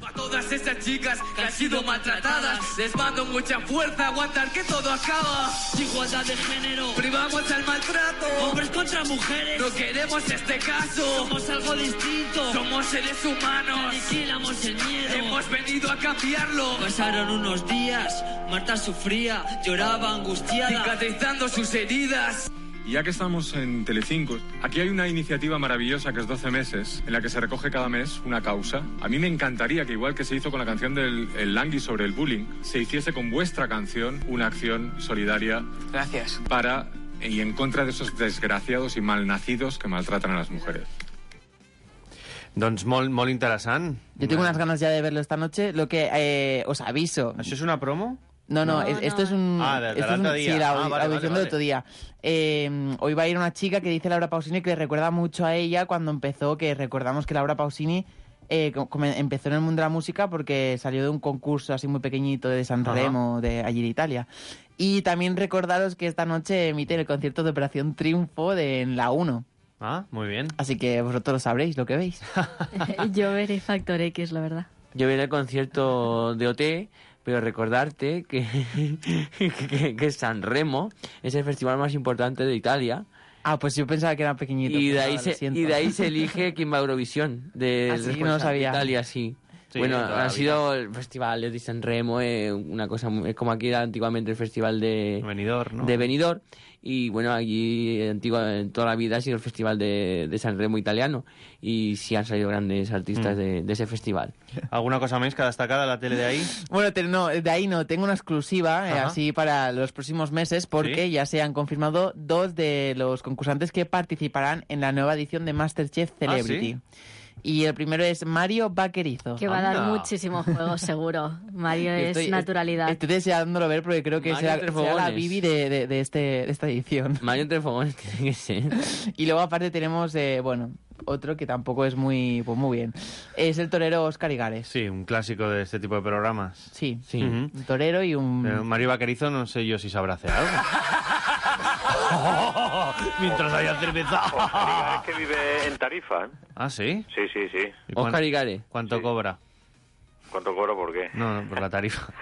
A todas esas chicas que han sido maltratadas, les mando mucha fuerza, aguantar que todo acaba. Igualdad de género, privamos el maltrato. Hombres contra mujeres, no queremos este caso. Somos algo distinto, somos seres humanos. Aniquilamos el miedo, hemos venido a cambiarlo. Pasaron unos días, Marta sufría, lloraba angustiada, cicatrizando sus heridas. Y ya que estamos en Telecinco, aquí hay una iniciativa maravillosa que es doce meses, en la que se recoge cada mes una causa. A mí me encantaría que, igual que se hizo con la canción del el Langui sobre el bullying, se hiciese con vuestra canción una acción solidaria. Gracias. Para y en contra de esos desgraciados y malnacidos que maltratan a las mujeres. Doncs molt, molt interessant. Yo tengo unas ganas ya de verlo esta noche. Lo que eh, os aviso. ¿Això és una promo? No, no, No, es- esto no. es un... Ah, de- del esto es un- otro día. Sí, la Ah, audi- vale, audición vale, del vale. otro día. Eh, hoy va a ir una chica que dice Laura Pausini que le recuerda mucho a ella cuando empezó, que recordamos que Laura Pausini eh, co- como empezó en el mundo de la música porque salió de un concurso así muy pequeñito de San Ajá. Remo, de allí de Italia. Y también recordaros que esta noche emiten el concierto de Operación Triunfo de, en la uno. Ah, muy bien. Así que vosotros lo sabréis, lo que veis. Yo veré Factor X, la verdad. Yo veré el concierto de O T, pero recordarte que, que, que San Remo es el festival más importante de Italia. Ah, pues yo pensaba que era pequeñito. Y de pues ahí, nada, lo se, siento. y de ahí se elige quién va a Eurovisión. De, Ah, sí, después no lo de sabía. Italia, sí. Sí, bueno, toda la ha sido el festival de San Remo, eh, una cosa muy- es como aquí era antiguamente el festival de Benidorm, ¿no? de Benidorm, y bueno, allí eh, antigua, en toda la vida ha sido el festival de, de San Remo italiano, y sí han salido grandes artistas Mm. de, de ese festival. ¿Alguna cosa más que destacar de la tele de ahí? Bueno, te- no, de ahí no, tengo una exclusiva, eh, Ajá. así para los próximos meses, porque ¿Sí? ya se han confirmado dos de los concursantes que participarán en la nueva edición de MasterChef Celebrity. Y el primero es Mario Vaquerizo. Que va a dar muchísimo juego, seguro. Mario Yo es estoy- naturalidad. Estoy deseándolo ver porque creo que Mario será, entre será la fogones. Bibi de, de, de este, de esta edición. Mario entre fogones tiene que ser. Y luego aparte tenemos, eh, bueno, otro que tampoco es muy, pues muy bien. Es el torero Óscar Igares. Sí, un clásico de este tipo de programas. Sí, Sí. un torero y un... Pero Mario Vaquerizo no sé yo si sabrá hacer algo. Mientras haya cerveza. Oscar es que vive en Tarifa, ¿eh? Ah, ¿sí? Sí, sí, sí. ¿Y cuán- Óscar Igares. ¿Cuánto cobra? ¿Cuánto cobra por qué? No, no, por la tarifa.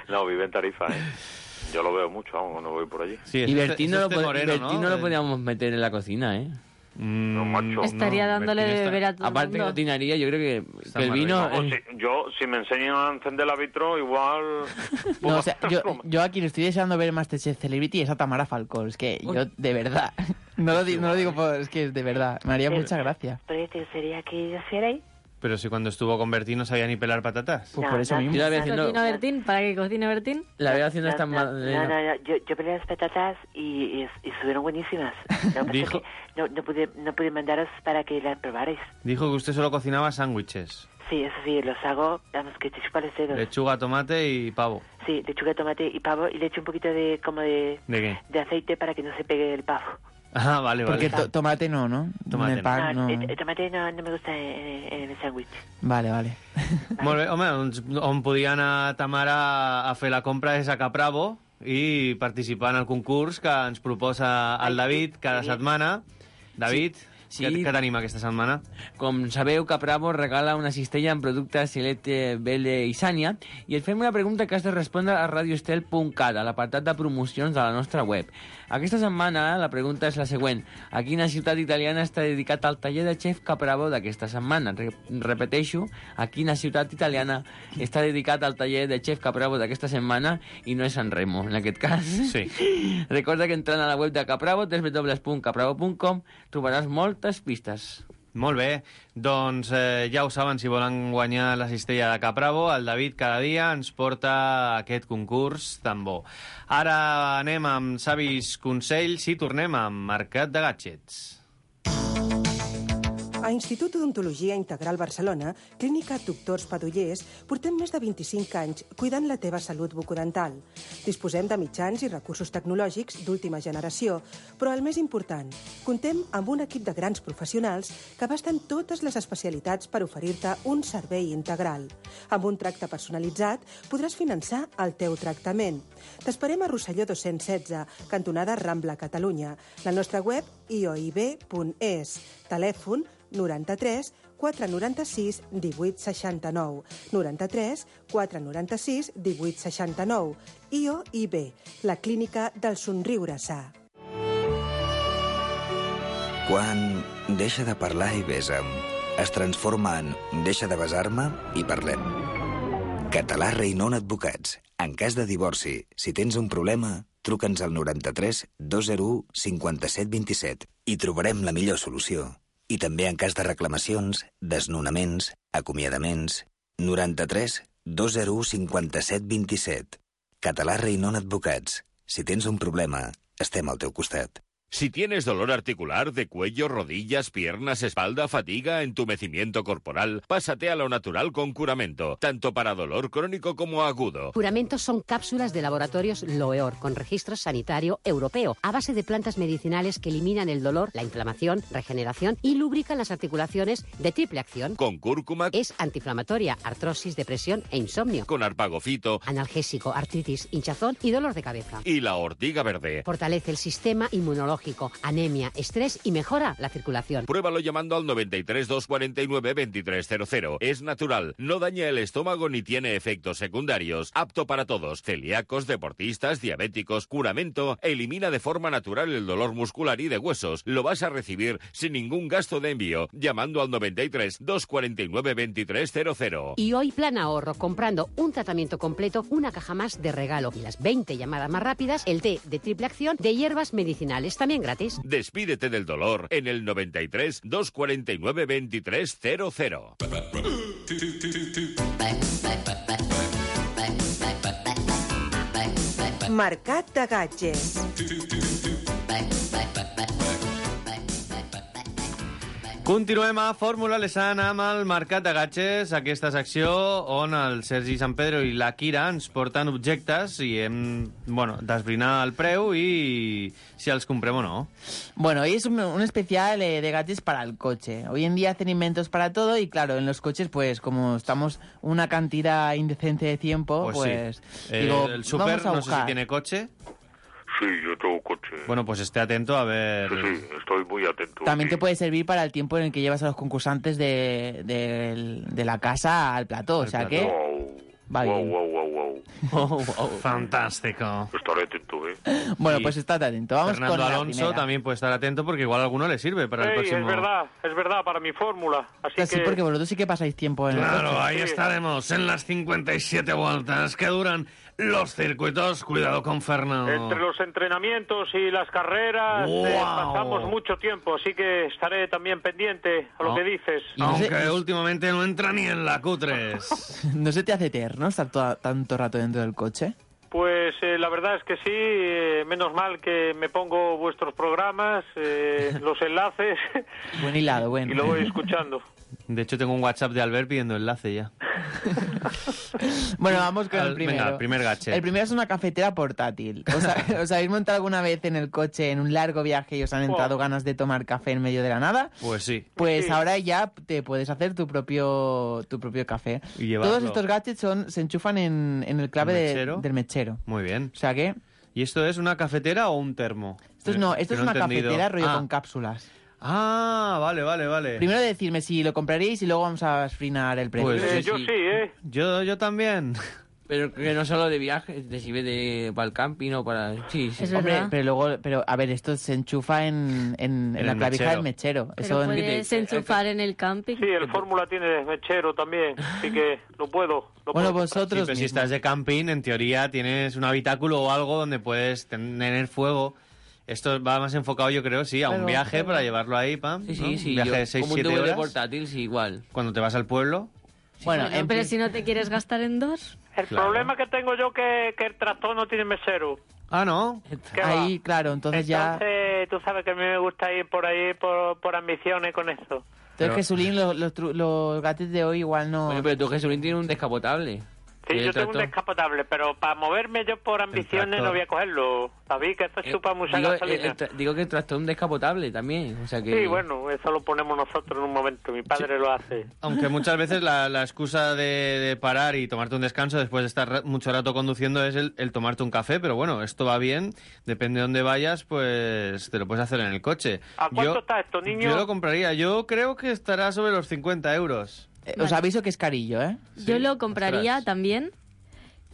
No, vive en Tarifa, ¿eh? Yo lo veo mucho, vamos, cuando voy por allí. Sí, es Y este- Bertín es no, lo, este pod- moreno, Bertín no ¿no? lo podíamos meter en la cocina, ¿eh? No, macho. Estaría dándole de beber a todo el Aparte mundo. cocinaría, yo creo que, Está que el más vino... Vamos, eh, si- yo, si me enseñan a encender la vitro, igual... No, o sea, yo, yo a quien estoy deseando ver Masterchef Celebrity es a Tamara Falcón. Es que yo, de verdad, no lo, di- no lo digo por... Es que de verdad, me haría mucha gracia. ¿Proyecto sería que yo hicierais? Pero si cuando estuvo con Bertín no sabía ni pelar patatas. Pues no, por eso no, mismo. Yo la veo haciendo... ¿Cocina Bertín? ¿Para qué cocina Bertín? La veo haciendo no, esta... No, mal... no, no, no. Yo, yo pelé las patatas y, y, y estuvieron buenísimas. No, Dijo... no, no, pude, no pude mandaros para que las probarais. Dijo que usted solo cocinaba sándwiches. Sí, eso sí, los hago, vamos, que te chupa los dedos. Lechuga, tomate y pavo. Sí, lechuga, tomate y pavo, y le echo un poquito de, como de... ¿De qué? De aceite para que no se pegue el pavo. Ah, vale, vale. Porque to tomate no, ¿no? Tomate en el pan, no. no. El, el tomate no, no me gusta en, en el sándwich. Vale, vale. Molt bé, home, doncs on podia anar Tamara a fer la compra és a Capravo i participar en el concurs que ens proposa el David cada setmana. David... Sí. Sí. Què, què tenim aquesta setmana? Com sabeu, Capravo regala una cistella amb productes Celeste, Belle i Sània i et fem una pregunta que has de respondre a radioestel punt cat, a l'apartat de promocions de la nostra web. Aquesta setmana la pregunta és la següent. A quina ciutat italiana està dedicat el taller de xef Capravo d'aquesta setmana? Re repeteixo, a quina ciutat italiana està dedicat el taller de xef Capravo d'aquesta setmana i no és San Remo, en aquest cas. Sí. Recorda que entrant a la web de Capravo, w w w punt capravo punt com, trobaràs moltes pistes. Molt bé, doncs eh, ja ho saben, si volen guanyar la cistella de Capravo, el David cada dia ens porta aquest concurs tan bo. Ara anem amb savis consells i tornem amb Mercat de Gadgets. A Institut d'Odontologia Integral Barcelona, Clínica Doctors Padullers, portem més de vint-i-cinc anys cuidant la teva salut bucodental. Disposem de mitjans i recursos tecnològics d'última generació, però el més important, contem amb un equip de grans professionals que abasten totes les especialitats per oferir-te un servei integral. Amb un tracte personalitzat podràs finançar el teu tractament. T'esperem a Rosselló dos-cents setze, cantonada Rambla, Catalunya. La nostra web i o i be punt es. Telèfon noranta-tres quatre noranta-sis divuit seixanta-nou. noranta-tres quatre noranta-sis divuit seixanta-nou. I o i be, la clínica del somriure sa. Quan deixa de parlar i besa'm, es transforma en deixa de besar-me i parlem. Català Reinon Advocats. En cas de divorci, si tens un problema, truca'ns al noranta-tres dos zero u cinquanta-set vint-i-set i trobarem la millor solució. I també en cas de reclamacions, desnonaments, acomiadaments... noranta-tres dos zero u cinquanta-set vint-i-set. Català Reinon Advocats. Si tens un problema, estem al teu costat. Si tienes dolor articular de cuello, rodillas, piernas, espalda, fatiga, entumecimiento corporal, pásate a lo natural con Curamento, tanto para dolor crónico como agudo. Curamento son cápsulas de laboratorios Loeor, con registro sanitario europeo, a base de plantas medicinales que eliminan el dolor, la inflamación, regeneración y lubrican las articulaciones de triple acción. Con cúrcuma. Es antiinflamatoria, artrosis, depresión e insomnio. Con arpagofito. Analgésico, artritis, hinchazón y dolor de cabeza. Y la ortiga verde. Fortalece el sistema inmunológico, anemia, estrés y mejora la circulación. Pruébalo llamando al noventa y tres dos cuarenta y nueve veintitrés cero cero. Es natural, no daña el estómago ni tiene efectos secundarios. Apto para todos, celíacos, deportistas, diabéticos. Curamento elimina de forma natural el dolor muscular y de huesos. Lo vas a recibir sin ningún gasto de envío, llamando al noventa y tres dos cuarenta y nueve veintitrés cero cero. Y hoy plan ahorro, comprando un tratamiento completo, una caja más de regalo y las veinte llamadas más rápidas, el té de triple acción de hierbas medicinales, también gratis. Despídete del dolor en el noventa y tres dos cuarenta y nueve veintitrés cero cero. Mercat de Gadgets. Continuem a Fórmula Lesan amb el Mercat de Gadgets, aquesta secció on el Sergi San Pedro i la Kira ens porten objectes i hem, bueno, d'esbrinar el preu i si els comprem o no. Bueno, hoy es un, un especial eh, de gadgets para el coche. Hoy en día hacen inventos para todo y claro, en los coches, pues como estamos una cantidad indecente de tiempo, pues, pues sí. digo, eh, el Super, vamos a no sé si buscar. tiene coche. Sí, yo tengo coche. Bueno, pues esté atento a ver... Sí, sí, estoy muy atento. También sí. te puede servir para el tiempo en el que llevas a los concursantes de, de, de la casa al plató, al o sea plató. que... Wow, va wow, bien. wow, wow, wow. Oh, oh. Fantástico. Estaré atento, ¿eh? Bueno, Y pues estate atento. Vamos Fernando con la Alonso primera. también puede estar atento porque igual a alguno le sirve para el Ey, próximo... es verdad, es verdad, para mi fórmula. Así Pues sí, que... porque vosotros sí que pasáis tiempo en el Claro, coche. ahí Sí. estaremos en las cincuenta y siete vueltas que duran Los circuitos, cuidado con Fernando. Entre los entrenamientos y las carreras Wow. eh, pasamos mucho tiempo, así que estaré también pendiente a lo Oh. que dices. Aunque últimamente no entra ni en la Q tres. ¿No se te hace eterno estar toda- tanto rato dentro del coche? Pues eh, la verdad es que sí, eh, menos mal que me pongo vuestros programas, eh, los enlaces, Buen hilado, bueno. y lo voy escuchando. De hecho, tengo un WhatsApp de Albert pidiendo enlace ya. Bueno, vamos con Al- el primero. venga, el primer gadget. El primero es una cafetera portátil. ¿Os, ha- os habéis montado alguna vez en el coche en un largo viaje y os han entrado Oh. ganas de tomar café en medio de la nada? Pues sí. Pues Sí. ahora ya te puedes hacer tu propio tu propio café. Y llevarlo. Todos estos gadgets son, se enchufan en, en el clave ¿El de- mechero? del mechero. Muy bien. O sea que... ¿Y esto es una cafetera o un termo? Esto es, no, esto Que es no he una entendido. cafetera rollo Ah. con cápsulas. Ah, vale, vale, vale. Primero decirme si lo compraríais y luego vamos a esfrinar el precio. Pues Eh, yo sí, ¿eh? Yo, yo también. Pero que no solo de viaje, de si ve de, para el camping o para... Sí, sí. Es Hombre, verdad. pero luego, pero a ver, esto se enchufa en, en, en En la el clavija mechero. del mechero. Pero Eso en- puedes enchufar en el camping. Sí, el Fórmula tiene mechero también, así que lo puedo. Lo Bueno, puedo. Sí, vosotros pero si mismos. estás de camping, en teoría tienes un habitáculo o algo donde puedes tener fuego. Esto va más enfocado, yo creo, sí, a un Claro, viaje claro. para llevarlo ahí, pam. Sí, ¿no? sí, sí. Un viaje yo- de seis como un siete D V D horas. portátil, sí, igual. Cuando te vas al pueblo. Bueno, Bueno, en pero prin- si no te quieres gastar en dos. El Claro. problema que tengo yo que que el tractor no tiene mesero. Ah, ¿no? ¿Qué va? ahí, claro, entonces, ya... Entonces, tú sabes que a mí me gusta ir por ahí por, por ambiciones con esto. Entonces, Jesulín, los, los, tru- los gadgets de hoy igual no... Bueno, pero tú, Jesulín, tiene un descapotable. Sí, ¿Y el yo tengo un tractor? descapotable, pero para moverme yo por ambiciones tractor. no voy a cogerlo. David, que esto Eh, chupa mucha digo, eh, gasolina. el tra- digo que el tractor es un descapotable también. O sea que... Sí, bueno, eso lo ponemos nosotros en un momento. Mi padre lo hace. Aunque muchas veces la, la excusa de, de parar y tomarte un descanso después de estar ra- mucho rato conduciendo es el, el tomarte un café, pero bueno, esto va bien, depende de dónde vayas, pues te lo puedes hacer en el coche. ¿A cuánto yo, está esto, niño? Yo lo compraría, yo creo que estará sobre los cincuenta euros. Eh, Os aviso que es carillo, ¿eh? Yo lo compraría ostras. también.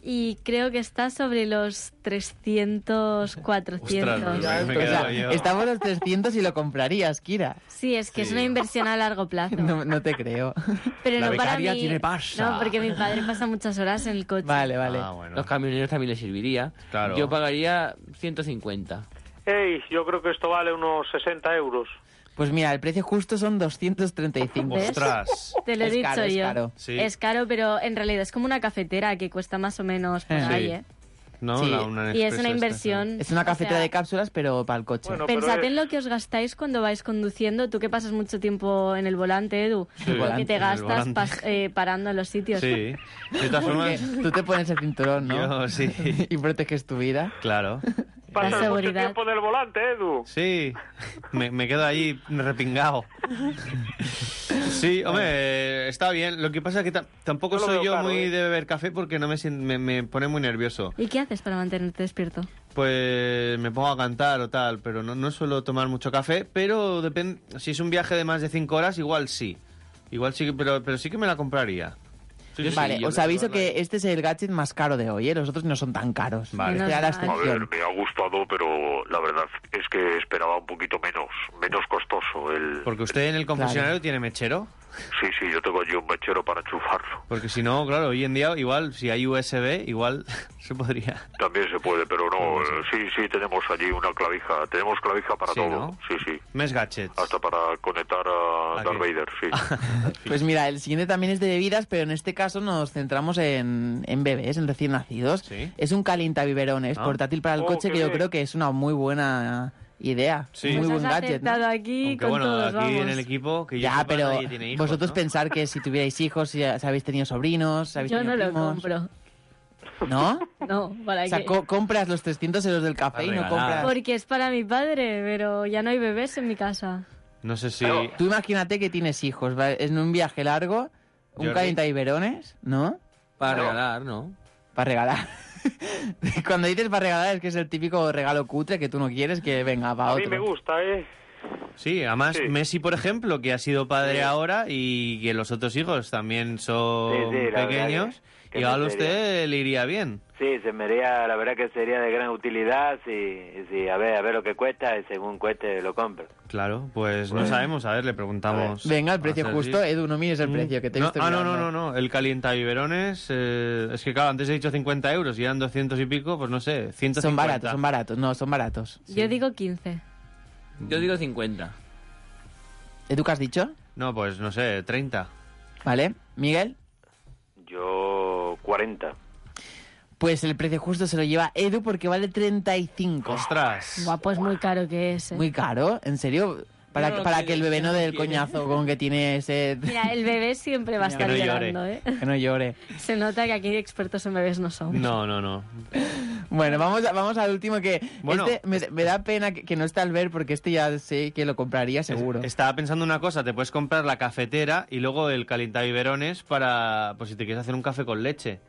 Y creo que está sobre los trescientos, cuatrocientos. Ostras, me he O sea, quedado yo. estamos los trescientos y lo comprarías, Kira. Sí, es que es Sí. una inversión a largo plazo. No, no te creo. Pero La no para becaria mí. tiene pasta. No, porque mi padre pasa muchas horas en el coche. Vale, vale. Ah, bueno. Los camioneros también les serviría. Claro. Yo pagaría ciento cincuenta. Ey, yo creo que esto vale unos sesenta euros. Pues mira, el precio justo son doscientos treinta y cinco. ¿Ves? Ostras. Te lo he Es dicho caro, es yo. caro. Sí. Es caro, pero en realidad es como una cafetera que cuesta más o menos por Sí. ahí, ¿eh? ¿No? Sí. La- una Y es Nespresso una esta, inversión. Es una o cafetera sea, de cápsulas, pero para el coche. Bueno, pero Pensad es- en lo que os gastáis cuando vais conduciendo. Tú que pasas mucho tiempo en el volante, Edu. Sí, lo volante, que te en el gastas volante. pas- eh, parando en los sitios. Sí. De todas Porque formas, tú te pones el cinturón, ¿no? yo sí. Y proteges tu vida. Claro. Pasas mucho seguridad. tiempo en el volante, Edu. Sí, me, me quedo ahí repingado. Sí, hombre, eh, está bien. Lo que pasa es que ta- tampoco Yo lo soy veo yo caro, muy ¿eh? de beber café porque no me, sien- me, me pone muy nervioso. ¿Y qué haces para mantenerte despierto? Pues me pongo a cantar o tal, pero no, no suelo tomar mucho café, pero depende. Si es un viaje de más de cinco horas, igual sí. Igual sí, que- pero, pero sí que me la compraría. Sí, sí, Vale, sí, yo os creo aviso que- que este es el gadget más caro de hoy, ¿eh? Los otros no son tan caros. Vale. Este era la Menos mal. A ver, excepción. me ha gustado, pero la verdad es que esperaba un poquito menos, menos costoso el... Porque usted en el concesionario tiene mechero. Sí, sí, yo tengo allí un mechero para enchufarlo. Porque si no, claro, hoy en día igual, si hay U S B, igual se podría. También se puede, pero no, eh, sí, sí, tenemos allí una clavija, tenemos clavija para Sí, todo, ¿no? sí, sí. Mes gadgets. Hasta para conectar a ¿A Darth qué? Vader, sí. Pues mira, el siguiente también es de bebidas, pero en este caso nos centramos en, en bebés, en recién nacidos. Sí. Es un calientabiberones Ah. portátil para el Oh, coche qué que yo bien. creo que es una muy buena idea. Sí. Muy Pues buen has gadget, ¿no? acertado aquí Aunque con bueno, todos, aquí vamos. en el equipo, que yo Ya, sepa, pero nadie tiene hijos, vosotros ¿no? pensar que si tuvierais hijos, si habéis tenido sobrinos, si habéis Yo tenido no lo primos, compro. ¿no? No, ¿para O sea, qué? co- compras los trescientos euros del café Para y no regalar. compras... Porque es para mi padre, pero ya no hay bebés en mi casa. No sé si... Tú imagínate que tienes hijos, ¿vale? En un viaje largo, un Jordi. calientabiberones, ¿no? Para No. regalar, ¿no? Para regalar. Cuando dices para regalar es que es el típico regalo cutre que tú no quieres, que venga, va A otro. mí me gusta, ¿eh? Sí, además Sí. Messi, por ejemplo, que ha sido padre Sí. ahora y que los otros hijos también son Sí, sí, la verdad pequeños, que- que igual a me usted le iría bien. Sí, se me haría, la verdad que sería de gran utilidad si, si a ver, a ver lo que cuesta y según cueste lo compro. Claro, pues no Bueno. sabemos, a ver, le preguntamos. Venga, el a precio Sergi. justo. Edu, no mires el Mm. precio, que te he No, visto ah, no, no, mirando. no, no, el calientabiberones, eh, es que claro, antes he dicho cincuenta euros y eran doscientos y pico, pues no sé, ciento cincuenta. Son baratos, son baratos. No, son baratos. Yo digo quince. Yo digo cincuenta. ¿Edu qué has dicho? No, pues no sé, treinta. Vale. ¿Miguel? Yo cuarenta. Pues el precio justo se lo lleva Edu porque vale treinta y cinco. ¡Ostras! Guapo, es muy caro que es. ¿eh? Muy caro, ¿en serio? Para, No lo para quiere, que el bebé no no lo dé el quiere. coñazo con que tiene ese... Mira, el bebé siempre va a Que estar no llore. llorando, ¿eh? Que no llore. Se nota que aquí expertos en bebés no somos. No, no, no. Bueno, vamos, a- vamos al último que... Bueno, este me, me da pena que, que no esté Albert porque este ya sé que lo compraría seguro. Estaba pensando una cosa, te puedes comprar la cafetera y luego el calientabiberones para, pues si te quieres hacer un café con leche.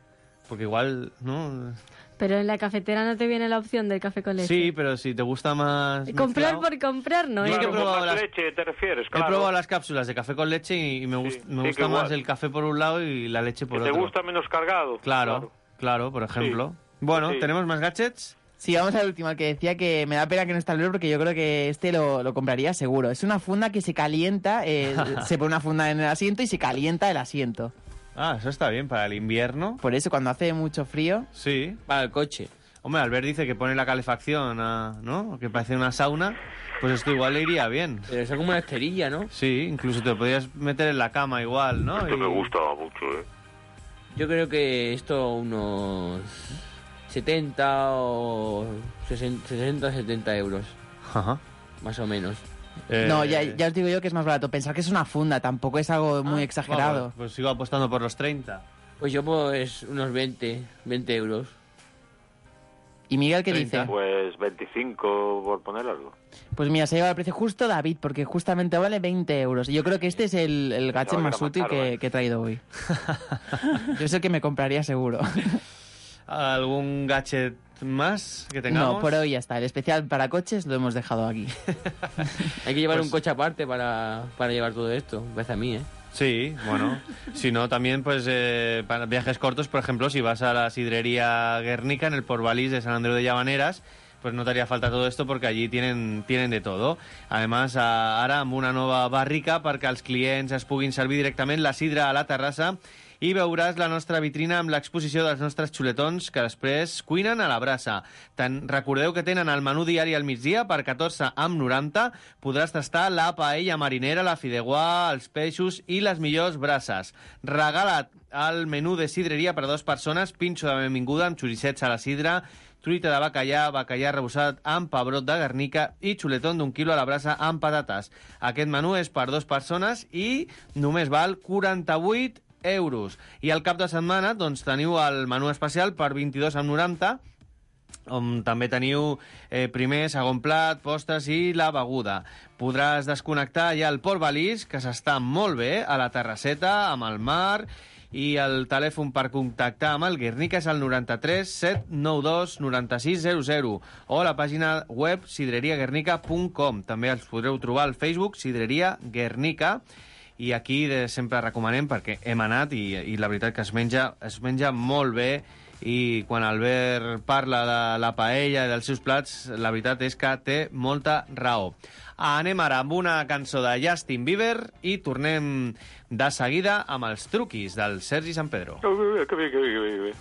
Porque igual, ¿no? Pero en la cafetera no te viene la opción del café con leche. Sí, pero si te gusta más... Comprar mezclado- por comprar, ¿no? Yo ¿eh? que he probado ¿Con las- leche te refieres? He Claro. probado las cápsulas de café con leche y, y me, gust- me sí, gusta que más igual. el café por un lado y la leche por Que te otro. gusta menos cargado. Claro, claro, por ejemplo. Bueno, Sí. ¿tenemos más gadgets? Sí, vamos al último, al que decía que me da pena que no esté Albert porque yo creo que este lo, lo compraría seguro. Es una funda que se calienta, eh, se pone una funda en el asiento y se calienta el asiento. Ah, eso está bien para el invierno. Por eso, cuando hace mucho frío... Sí. Para el coche. Hombre, Albert dice que pone la calefacción, a- ¿no? Que parece una sauna. Pues esto igual le iría bien. Pero es como una esterilla, ¿no? Sí, incluso te lo podrías meter en la cama igual, ¿no? Esto Y- me gusta mucho, ¿eh? Yo creo que esto unos setenta o sesenta, setenta euros. Ajá. Más o menos. Eh, No, ya, ya os digo yo que es más barato. Pensar que es una funda, tampoco es algo muy exagerado. Vamos, pues sigo apostando por los treinta. Pues yo pues unos veinte, veinte euros. ¿Y Miguel qué treinta. dice? Pues veinticinco por poner algo. Pues mira, se lleva el precio justo David, porque justamente vale veinte euros. Y yo creo que este es el, el gadget No, que más era más útil caro, que, ¿eh? que he traído hoy. Yo es el que me compraría seguro. ¿Algún gadget más que tengamos? No, por hoy ya está. El especial para coches lo hemos dejado aquí. Hay que llevar Pues- un coche aparte para, para llevar todo esto. Me parece a mí, ¿eh? Sí, bueno. Si no, también, pues, eh, para viajes cortos, por ejemplo, si vas a la sidrería Guernica, en el Portvalís de San Andreu de Llavaneras, pues no te haría falta todo esto porque allí tienen, tienen de todo. Además, a- ara amb una nova barrica perquè els clients es puguin servir directament la sidra a la terrassa i veuràs la nostra vitrina amb l'exposició dels nostres xuletons que després cuinen a la brasa. Ten, recordeu que tenen el menú diari al migdia per catorze amb noranta. Podràs tastar la paella marinera, la fideuà, els peixos i les millors brases. Regala't el menú de sidreria per a dues persones, pinxo de benvinguda amb xoricets a la sidra, truita de bacallà, bacallà rebossat amb pebrot de Guernica i xuletón d'un quilo a la brasa amb patates. Aquest menú és per dues persones i només val quaranta-vuit euros. I al cap de setmana doncs, teniu el menú especial per vint-i-dos amb noranta, on també teniu eh, primer, segon plat, postres i la beguda. Podràs desconnectar ja el Portvalís, que s'està molt bé, a la terrasseta, amb el mar, i el telèfon per contactar amb el Guernica és el noranta-tres set nou dos noranta-sis zero zero o la pàgina web sidreria guernica punt com. També els podreu trobar al Facebook Sidreria Guernica. I aquí de, sempre recomanem perquè hem anat i, i la veritat que es menja, es menja molt bé i quan Albert parla de la paella i dels seus plats, la veritat és que té molta raó. Anem ara amb una cançó de Justin Bieber i tornem de seguida amb els truquis del Sergi San Pedro. Que bien, que bien, que bien, que bien.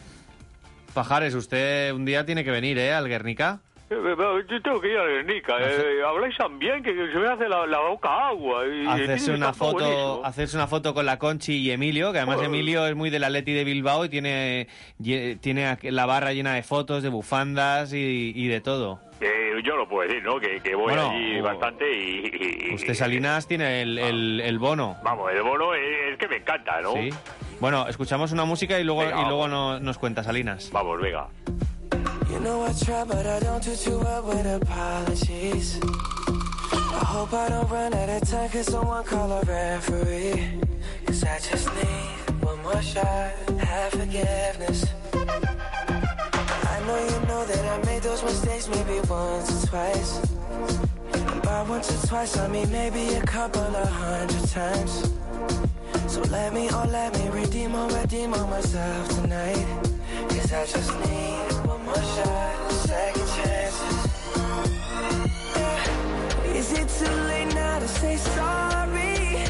Pajares, usted un día tiene que venir, ¿eh? Al Guernica. Eh, Yo tengo que ir a Guernica. Eh, habláis tan bien que se me hace la, la boca agua. Y Hacerse tiene una tanto foto, buenísimo. hacerse una foto con la Conchi y Emilio, que además Joder. Emilio es muy del Atleti de Bilbao y tiene, lle- tiene aquí la barra llena de fotos, de bufandas y, y de todo. Eh, yo no puedo decir, ¿no? Que, que voy Bueno, allí o- bastante y, y- Usted, Salinas, tiene el, el, el bono. Vamos, el bono es, es que me encanta, ¿no? Sí. Bueno, escuchamos una música y luego, Venga, y luego vamos. no- nos cuenta Salinas. Vamos, venga. You know I try, but I don't do too well with apologies. I hope I don't run out of time, cause someone call a referee. Cause I just need one more shot, have forgiveness. I know you know that I made those mistakes maybe once or twice. And by Not once or twice, I mean maybe a couple of hundred times. So let me, oh let me redeem or redeem on myself tonight. Cause I just need one more shot, second chances. Yeah. Is it too late now to say sorry?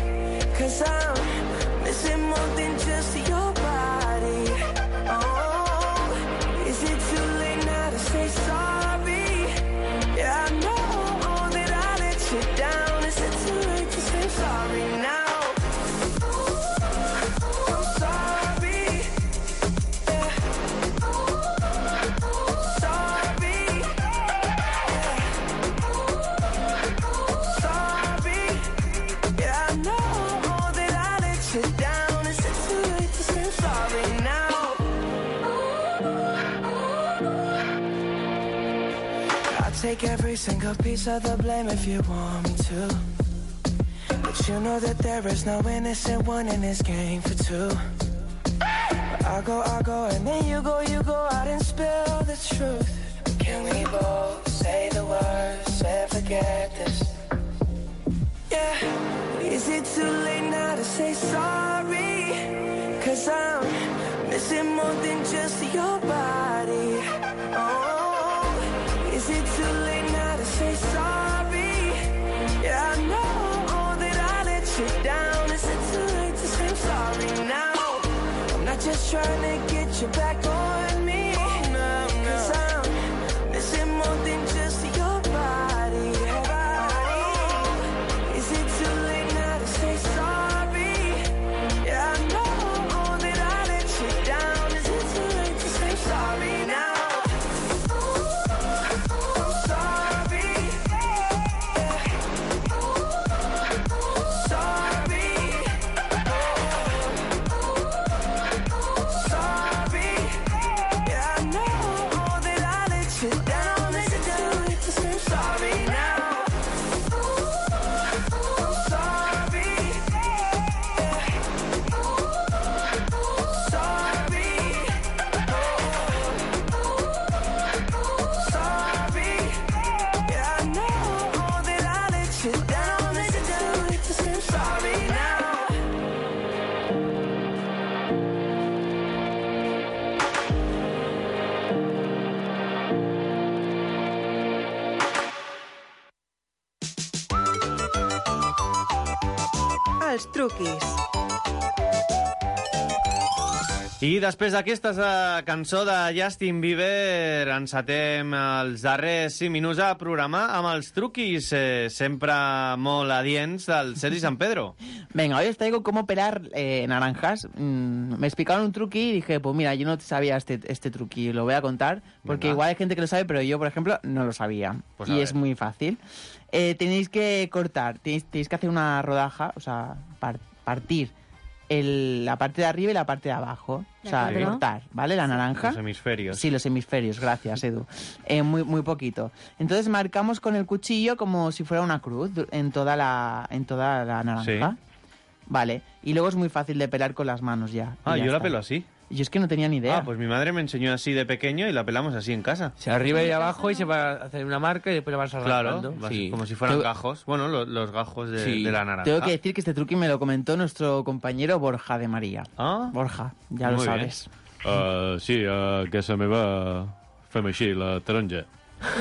Cause I'm missing more than just your body. Oh, is it too late now to say sorry? Yeah, I know that I let you down. Is it too late to say sorry now? I'm sorry. Yeah. Sorry. Yeah. Sorry. Yeah, I know that I let you down. Is it too late to say sorry now? I'll take every single piece of the blame if you want me to. But you know that there is no innocent one in this game for two. But I go, I go, and then you go, you go out and spill the truth. Can we both say the words and forget this? Yeah. Is it too late now to say sorry? Cause I'm missing more than just your body. Oh, is it too late now to say sorry? Yeah, I know that I let you down. Is it too late to say sorry now? I'm not just trying to get you back on me. No, no. Cause I'm missing more than just your body. Oh, is it too late now to say sorry? Yeah, I know that I let you down. Is it too late to say sorry now? I'm sorry. Yeah. Sorry. Sorry. Yeah, I know that I let you down. Is it too late to say sorry now? I'm sorry. Yeah. Sorry. Sorry. Yeah, I know that I let you down. Is it too late to say sorry now? Els truquis. I després d'aquesta eh, cançó de Justin Bieber encetem els darrers cinc minuts a programar amb els truquis eh, sempre molt adients del Sergi San Pedro. Venga, hoy os traigo cómo pelar eh, naranjas. Mm, me explicaron un truqui y dije, pues mira, yo no sabía este, este truqui, lo voy a contar, porque Venga. igual hay gente que lo sabe, pero yo, por ejemplo, no lo sabía. Pues a y ver. es muy fácil. Eh, tenéis que cortar, tenéis, tenéis que hacer una rodaja, o sea, par- partir el, la parte de arriba y la parte de abajo. O sea, acuerdo. cortar, ¿vale? La naranja. Los hemisferios. Sí, los hemisferios, gracias, Edu. Eh, muy, muy poquito. Entonces marcamos con el cuchillo como si fuera una cruz du- en toda la, en toda la naranja. Sí. Vale. Y luego es muy fácil de pelar con las manos ya. Ah, Y ya yo la está. pelo así. Yo es que no tenía ni idea. Ah, pues mi madre me enseñó así de pequeño y la pelamos así en casa. O sea, arriba y abajo y se va a hacer una marca y después la vas arrancando. Claro, vas- Sí. como si fueran Tengo- gajos. Bueno, lo- los gajos de, Sí. de la naranja. Tengo que decir que este truqui me lo comentó nuestro compañero Borja de María. Ah. Borja, ya lo Muy bien. sabes. Uh, sí, uh, que se me va fem així, la taronja.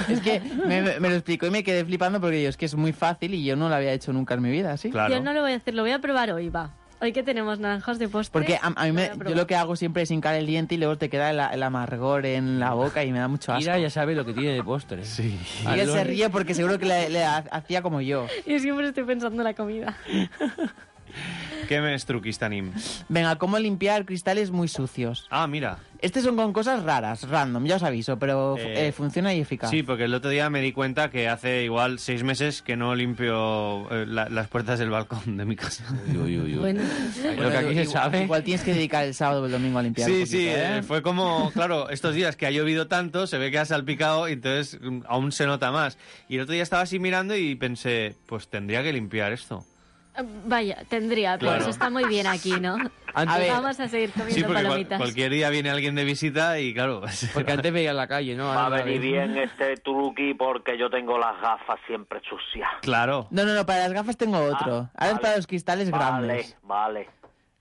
Es que me, me- me lo explicó y me quedé flipando porque yo, es que es muy fácil y yo no lo había hecho nunca en mi vida, ¿sí? Yo no lo voy a hacer, lo voy a probar hoy, va. Hoy que tenemos naranjas de postre. Porque a, a mí me- voy a yo probar. lo que hago siempre es hincar el diente y luego te queda el, el amargor en la boca y me da mucho asco. Mira, ya sabe lo que tiene de postre. Sí. Y él se ríe porque seguro que le, le ha- hacía como yo. Yo siempre estoy pensando en la comida. Què més truquis tenim? Venga, ¿cómo limpiar cristales muy sucios? Ah, mira. Estos son con cosas raras, random, ya os aviso, pero Eh, eh, funciona y eficaz. Sí, porque el otro día me di cuenta que hace igual seis meses que no limpio eh, la- las puertas del balcón de mi casa. Bueno. Bueno, igual- Igual tienes que dedicar el sábado o el domingo a limpiar un Sí, poquito, sí, ¿eh? eh, fue como, claro, estos días que ha llovido tanto, se ve que ha salpicado y entonces mm, aún se nota más. Y el otro día estaba así mirando y pensé, pues tendría que limpiar esto. Vaya, tendría, pero Claro. eso está muy bien aquí, ¿no? A ver. Vamos a seguir comiendo Sí, porque cual- palomitas. cualquier día viene alguien de visita y claro... Porque antes veía en la calle, ¿no? Va a Ahora venir ves. bien este truqui porque yo tengo las gafas siempre sucias. Claro. No, no, no, para las gafas tengo otro. Ahora es para los cristales Vale, grandes. vale.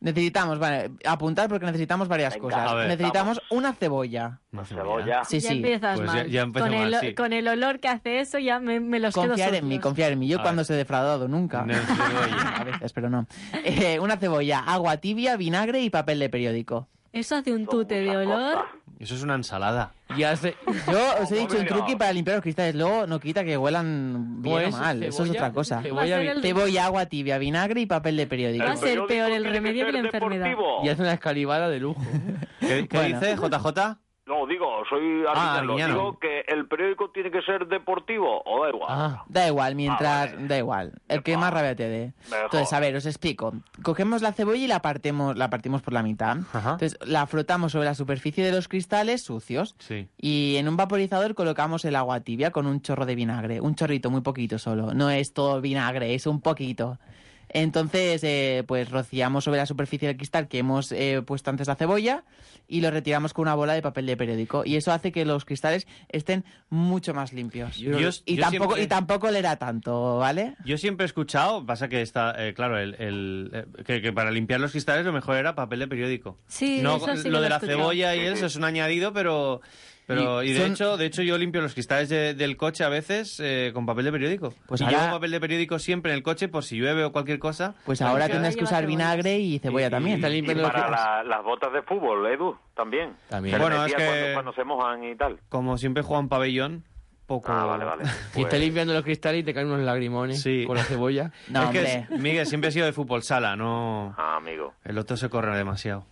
Necesitamos, vale, apuntar porque necesitamos varias Venga, cosas. a ver. necesitamos una cebolla. Una cebolla. Sí, ya sí. empiezas Pues mal. ya- ya empezó con, mal, el, sí. con el olor que hace eso ya me, me los quedo Confiar en sucios. mí, confiar en mí. Yo A cuando ver. os he defraudado, nunca. No, cebolla. A veces, pero no. Eh, una cebolla, agua tibia, vinagre y papel de periódico. Eso hace un tute de olor. Eso es una ensalada. Y hace... Yo os he dicho un mira. truqui para limpiar los cristales. Luego no quita que huelan bien Pues, o mal. Eso es cebolla, otra cosa. cebolla, Va a ser el- Cebolla, agua tibia, vinagre y papel de periódico. Va a ser peor el periódico remedio que tiene la que ser enfermedad. deportivo. Y hace una escalivada de lujo. ¿Qué, qué Bueno. dice, J J? No, digo, soy Ah, arguiñano. arguiñano. Digo que el periódico tiene que ser deportivo, o da igual. Ah, Da igual, mientras... Ah, vale. Da igual. El que más rabia te dé. Mejor. Entonces, a ver, os explico. Cogemos la cebolla y la partemos, la partimos por la mitad. Ajá. Entonces, la frotamos sobre la superficie de los cristales sucios. Sí. Y en un vaporizador colocamos el agua tibia con un chorro de vinagre. Un chorrito, muy poquito solo. No es todo vinagre, es un poquito. Entonces, eh, pues rociamos sobre la superficie del cristal que hemos eh, puesto antes la cebolla y lo retiramos con una bola de papel de periódico. Y eso hace que los cristales estén mucho más limpios. Yo- y, yo tampoco, siempre- y tampoco le da tanto, ¿vale? Yo siempre he escuchado, pasa que está, eh, claro, el, el, eh, que, que para limpiar los cristales lo mejor era papel de periódico. Sí, no, eso sí que lo lo de he la escuchado. cebolla y eso es un añadido, pero pero Y y, de son- hecho, de hecho yo limpio los cristales de- del coche a veces eh, con papel de periódico. Pues y ahora- llevo papel de periódico siempre en el coche por si llueve o cualquier cosa. Pues ahora que tendrás ahora que usar lleva vinagre y cebolla Y- también. está Y limpiando los para cristales. la- las botas de fútbol, Edu, también. También. Se le Bueno, metía es que- cuando, cuando se mojan y tal. Como siempre juegan pabellón, poco. Ah, vale, vale. Y Pues- está limpiando los cristales y te caen unos lagrimones Sí. con la cebolla. No, es que hombre. es- Miguel siempre he sido de fútbol sala, no. Ah, amigo. El otro se corre demasiado.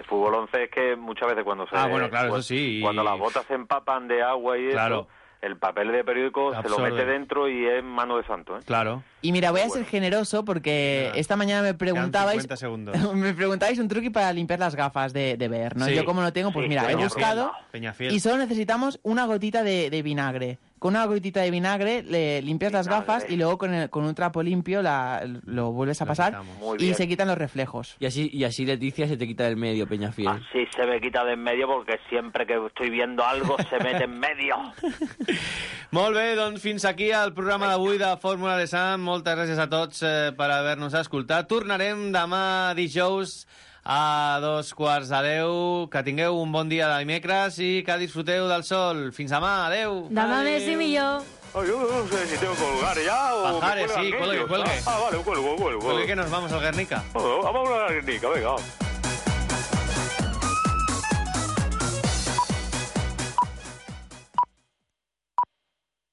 Fútbol once es que muchas veces cuando se... Ah, bueno, claro, cu- eso sí, y- Cuando las botas se empapan de agua y Claro. eso, el papel de periódico se Absorbe. lo mete dentro y es mano de santo, ¿eh? Claro. Y mira, voy a Bueno. ser generoso porque Venga. esta mañana me Quedan preguntabais... cincuenta segundos. me preguntabais un truqui para limpiar las gafas de, de ver, ¿no? Sí. Yo como no tengo, pues Sí, mira, he Peñafiel. buscado Peñafiel. y solo necesitamos una gotita de, de vinagre. Con una gotita de vinagre le limpias las Vinagre. gafas y luego con, el- con un trapo limpio la, lo vuelves a Lo pasar quitamos. Muy y bien. se quitan los reflejos. Y así, y así Leticia se te quita del medio, Peñafiel. Así se me quita de en medio porque siempre que estoy viendo algo se mete en medio. Molt bé, doncs fins aquí el programa d'avui de Fórmula de Sam. Moltes gràcies a tots eh, per haver-nos escoltat. Tornarem demà dijous a dos quarts de deu. Que tingueu un bon dia de dimecres i que disfruteu del sol. Fins demà, adeu. Demà Adeu. més i millor. Ay, yo no sé si tengo que colgar ya o... me Pajares, cuelgan sí, cuelgue, ellos. cuelgue. Ah, vale, cuelgo, cuelgo. Porque que nos vamos al Guernica. Bueno, vamos a una Guernica, venga.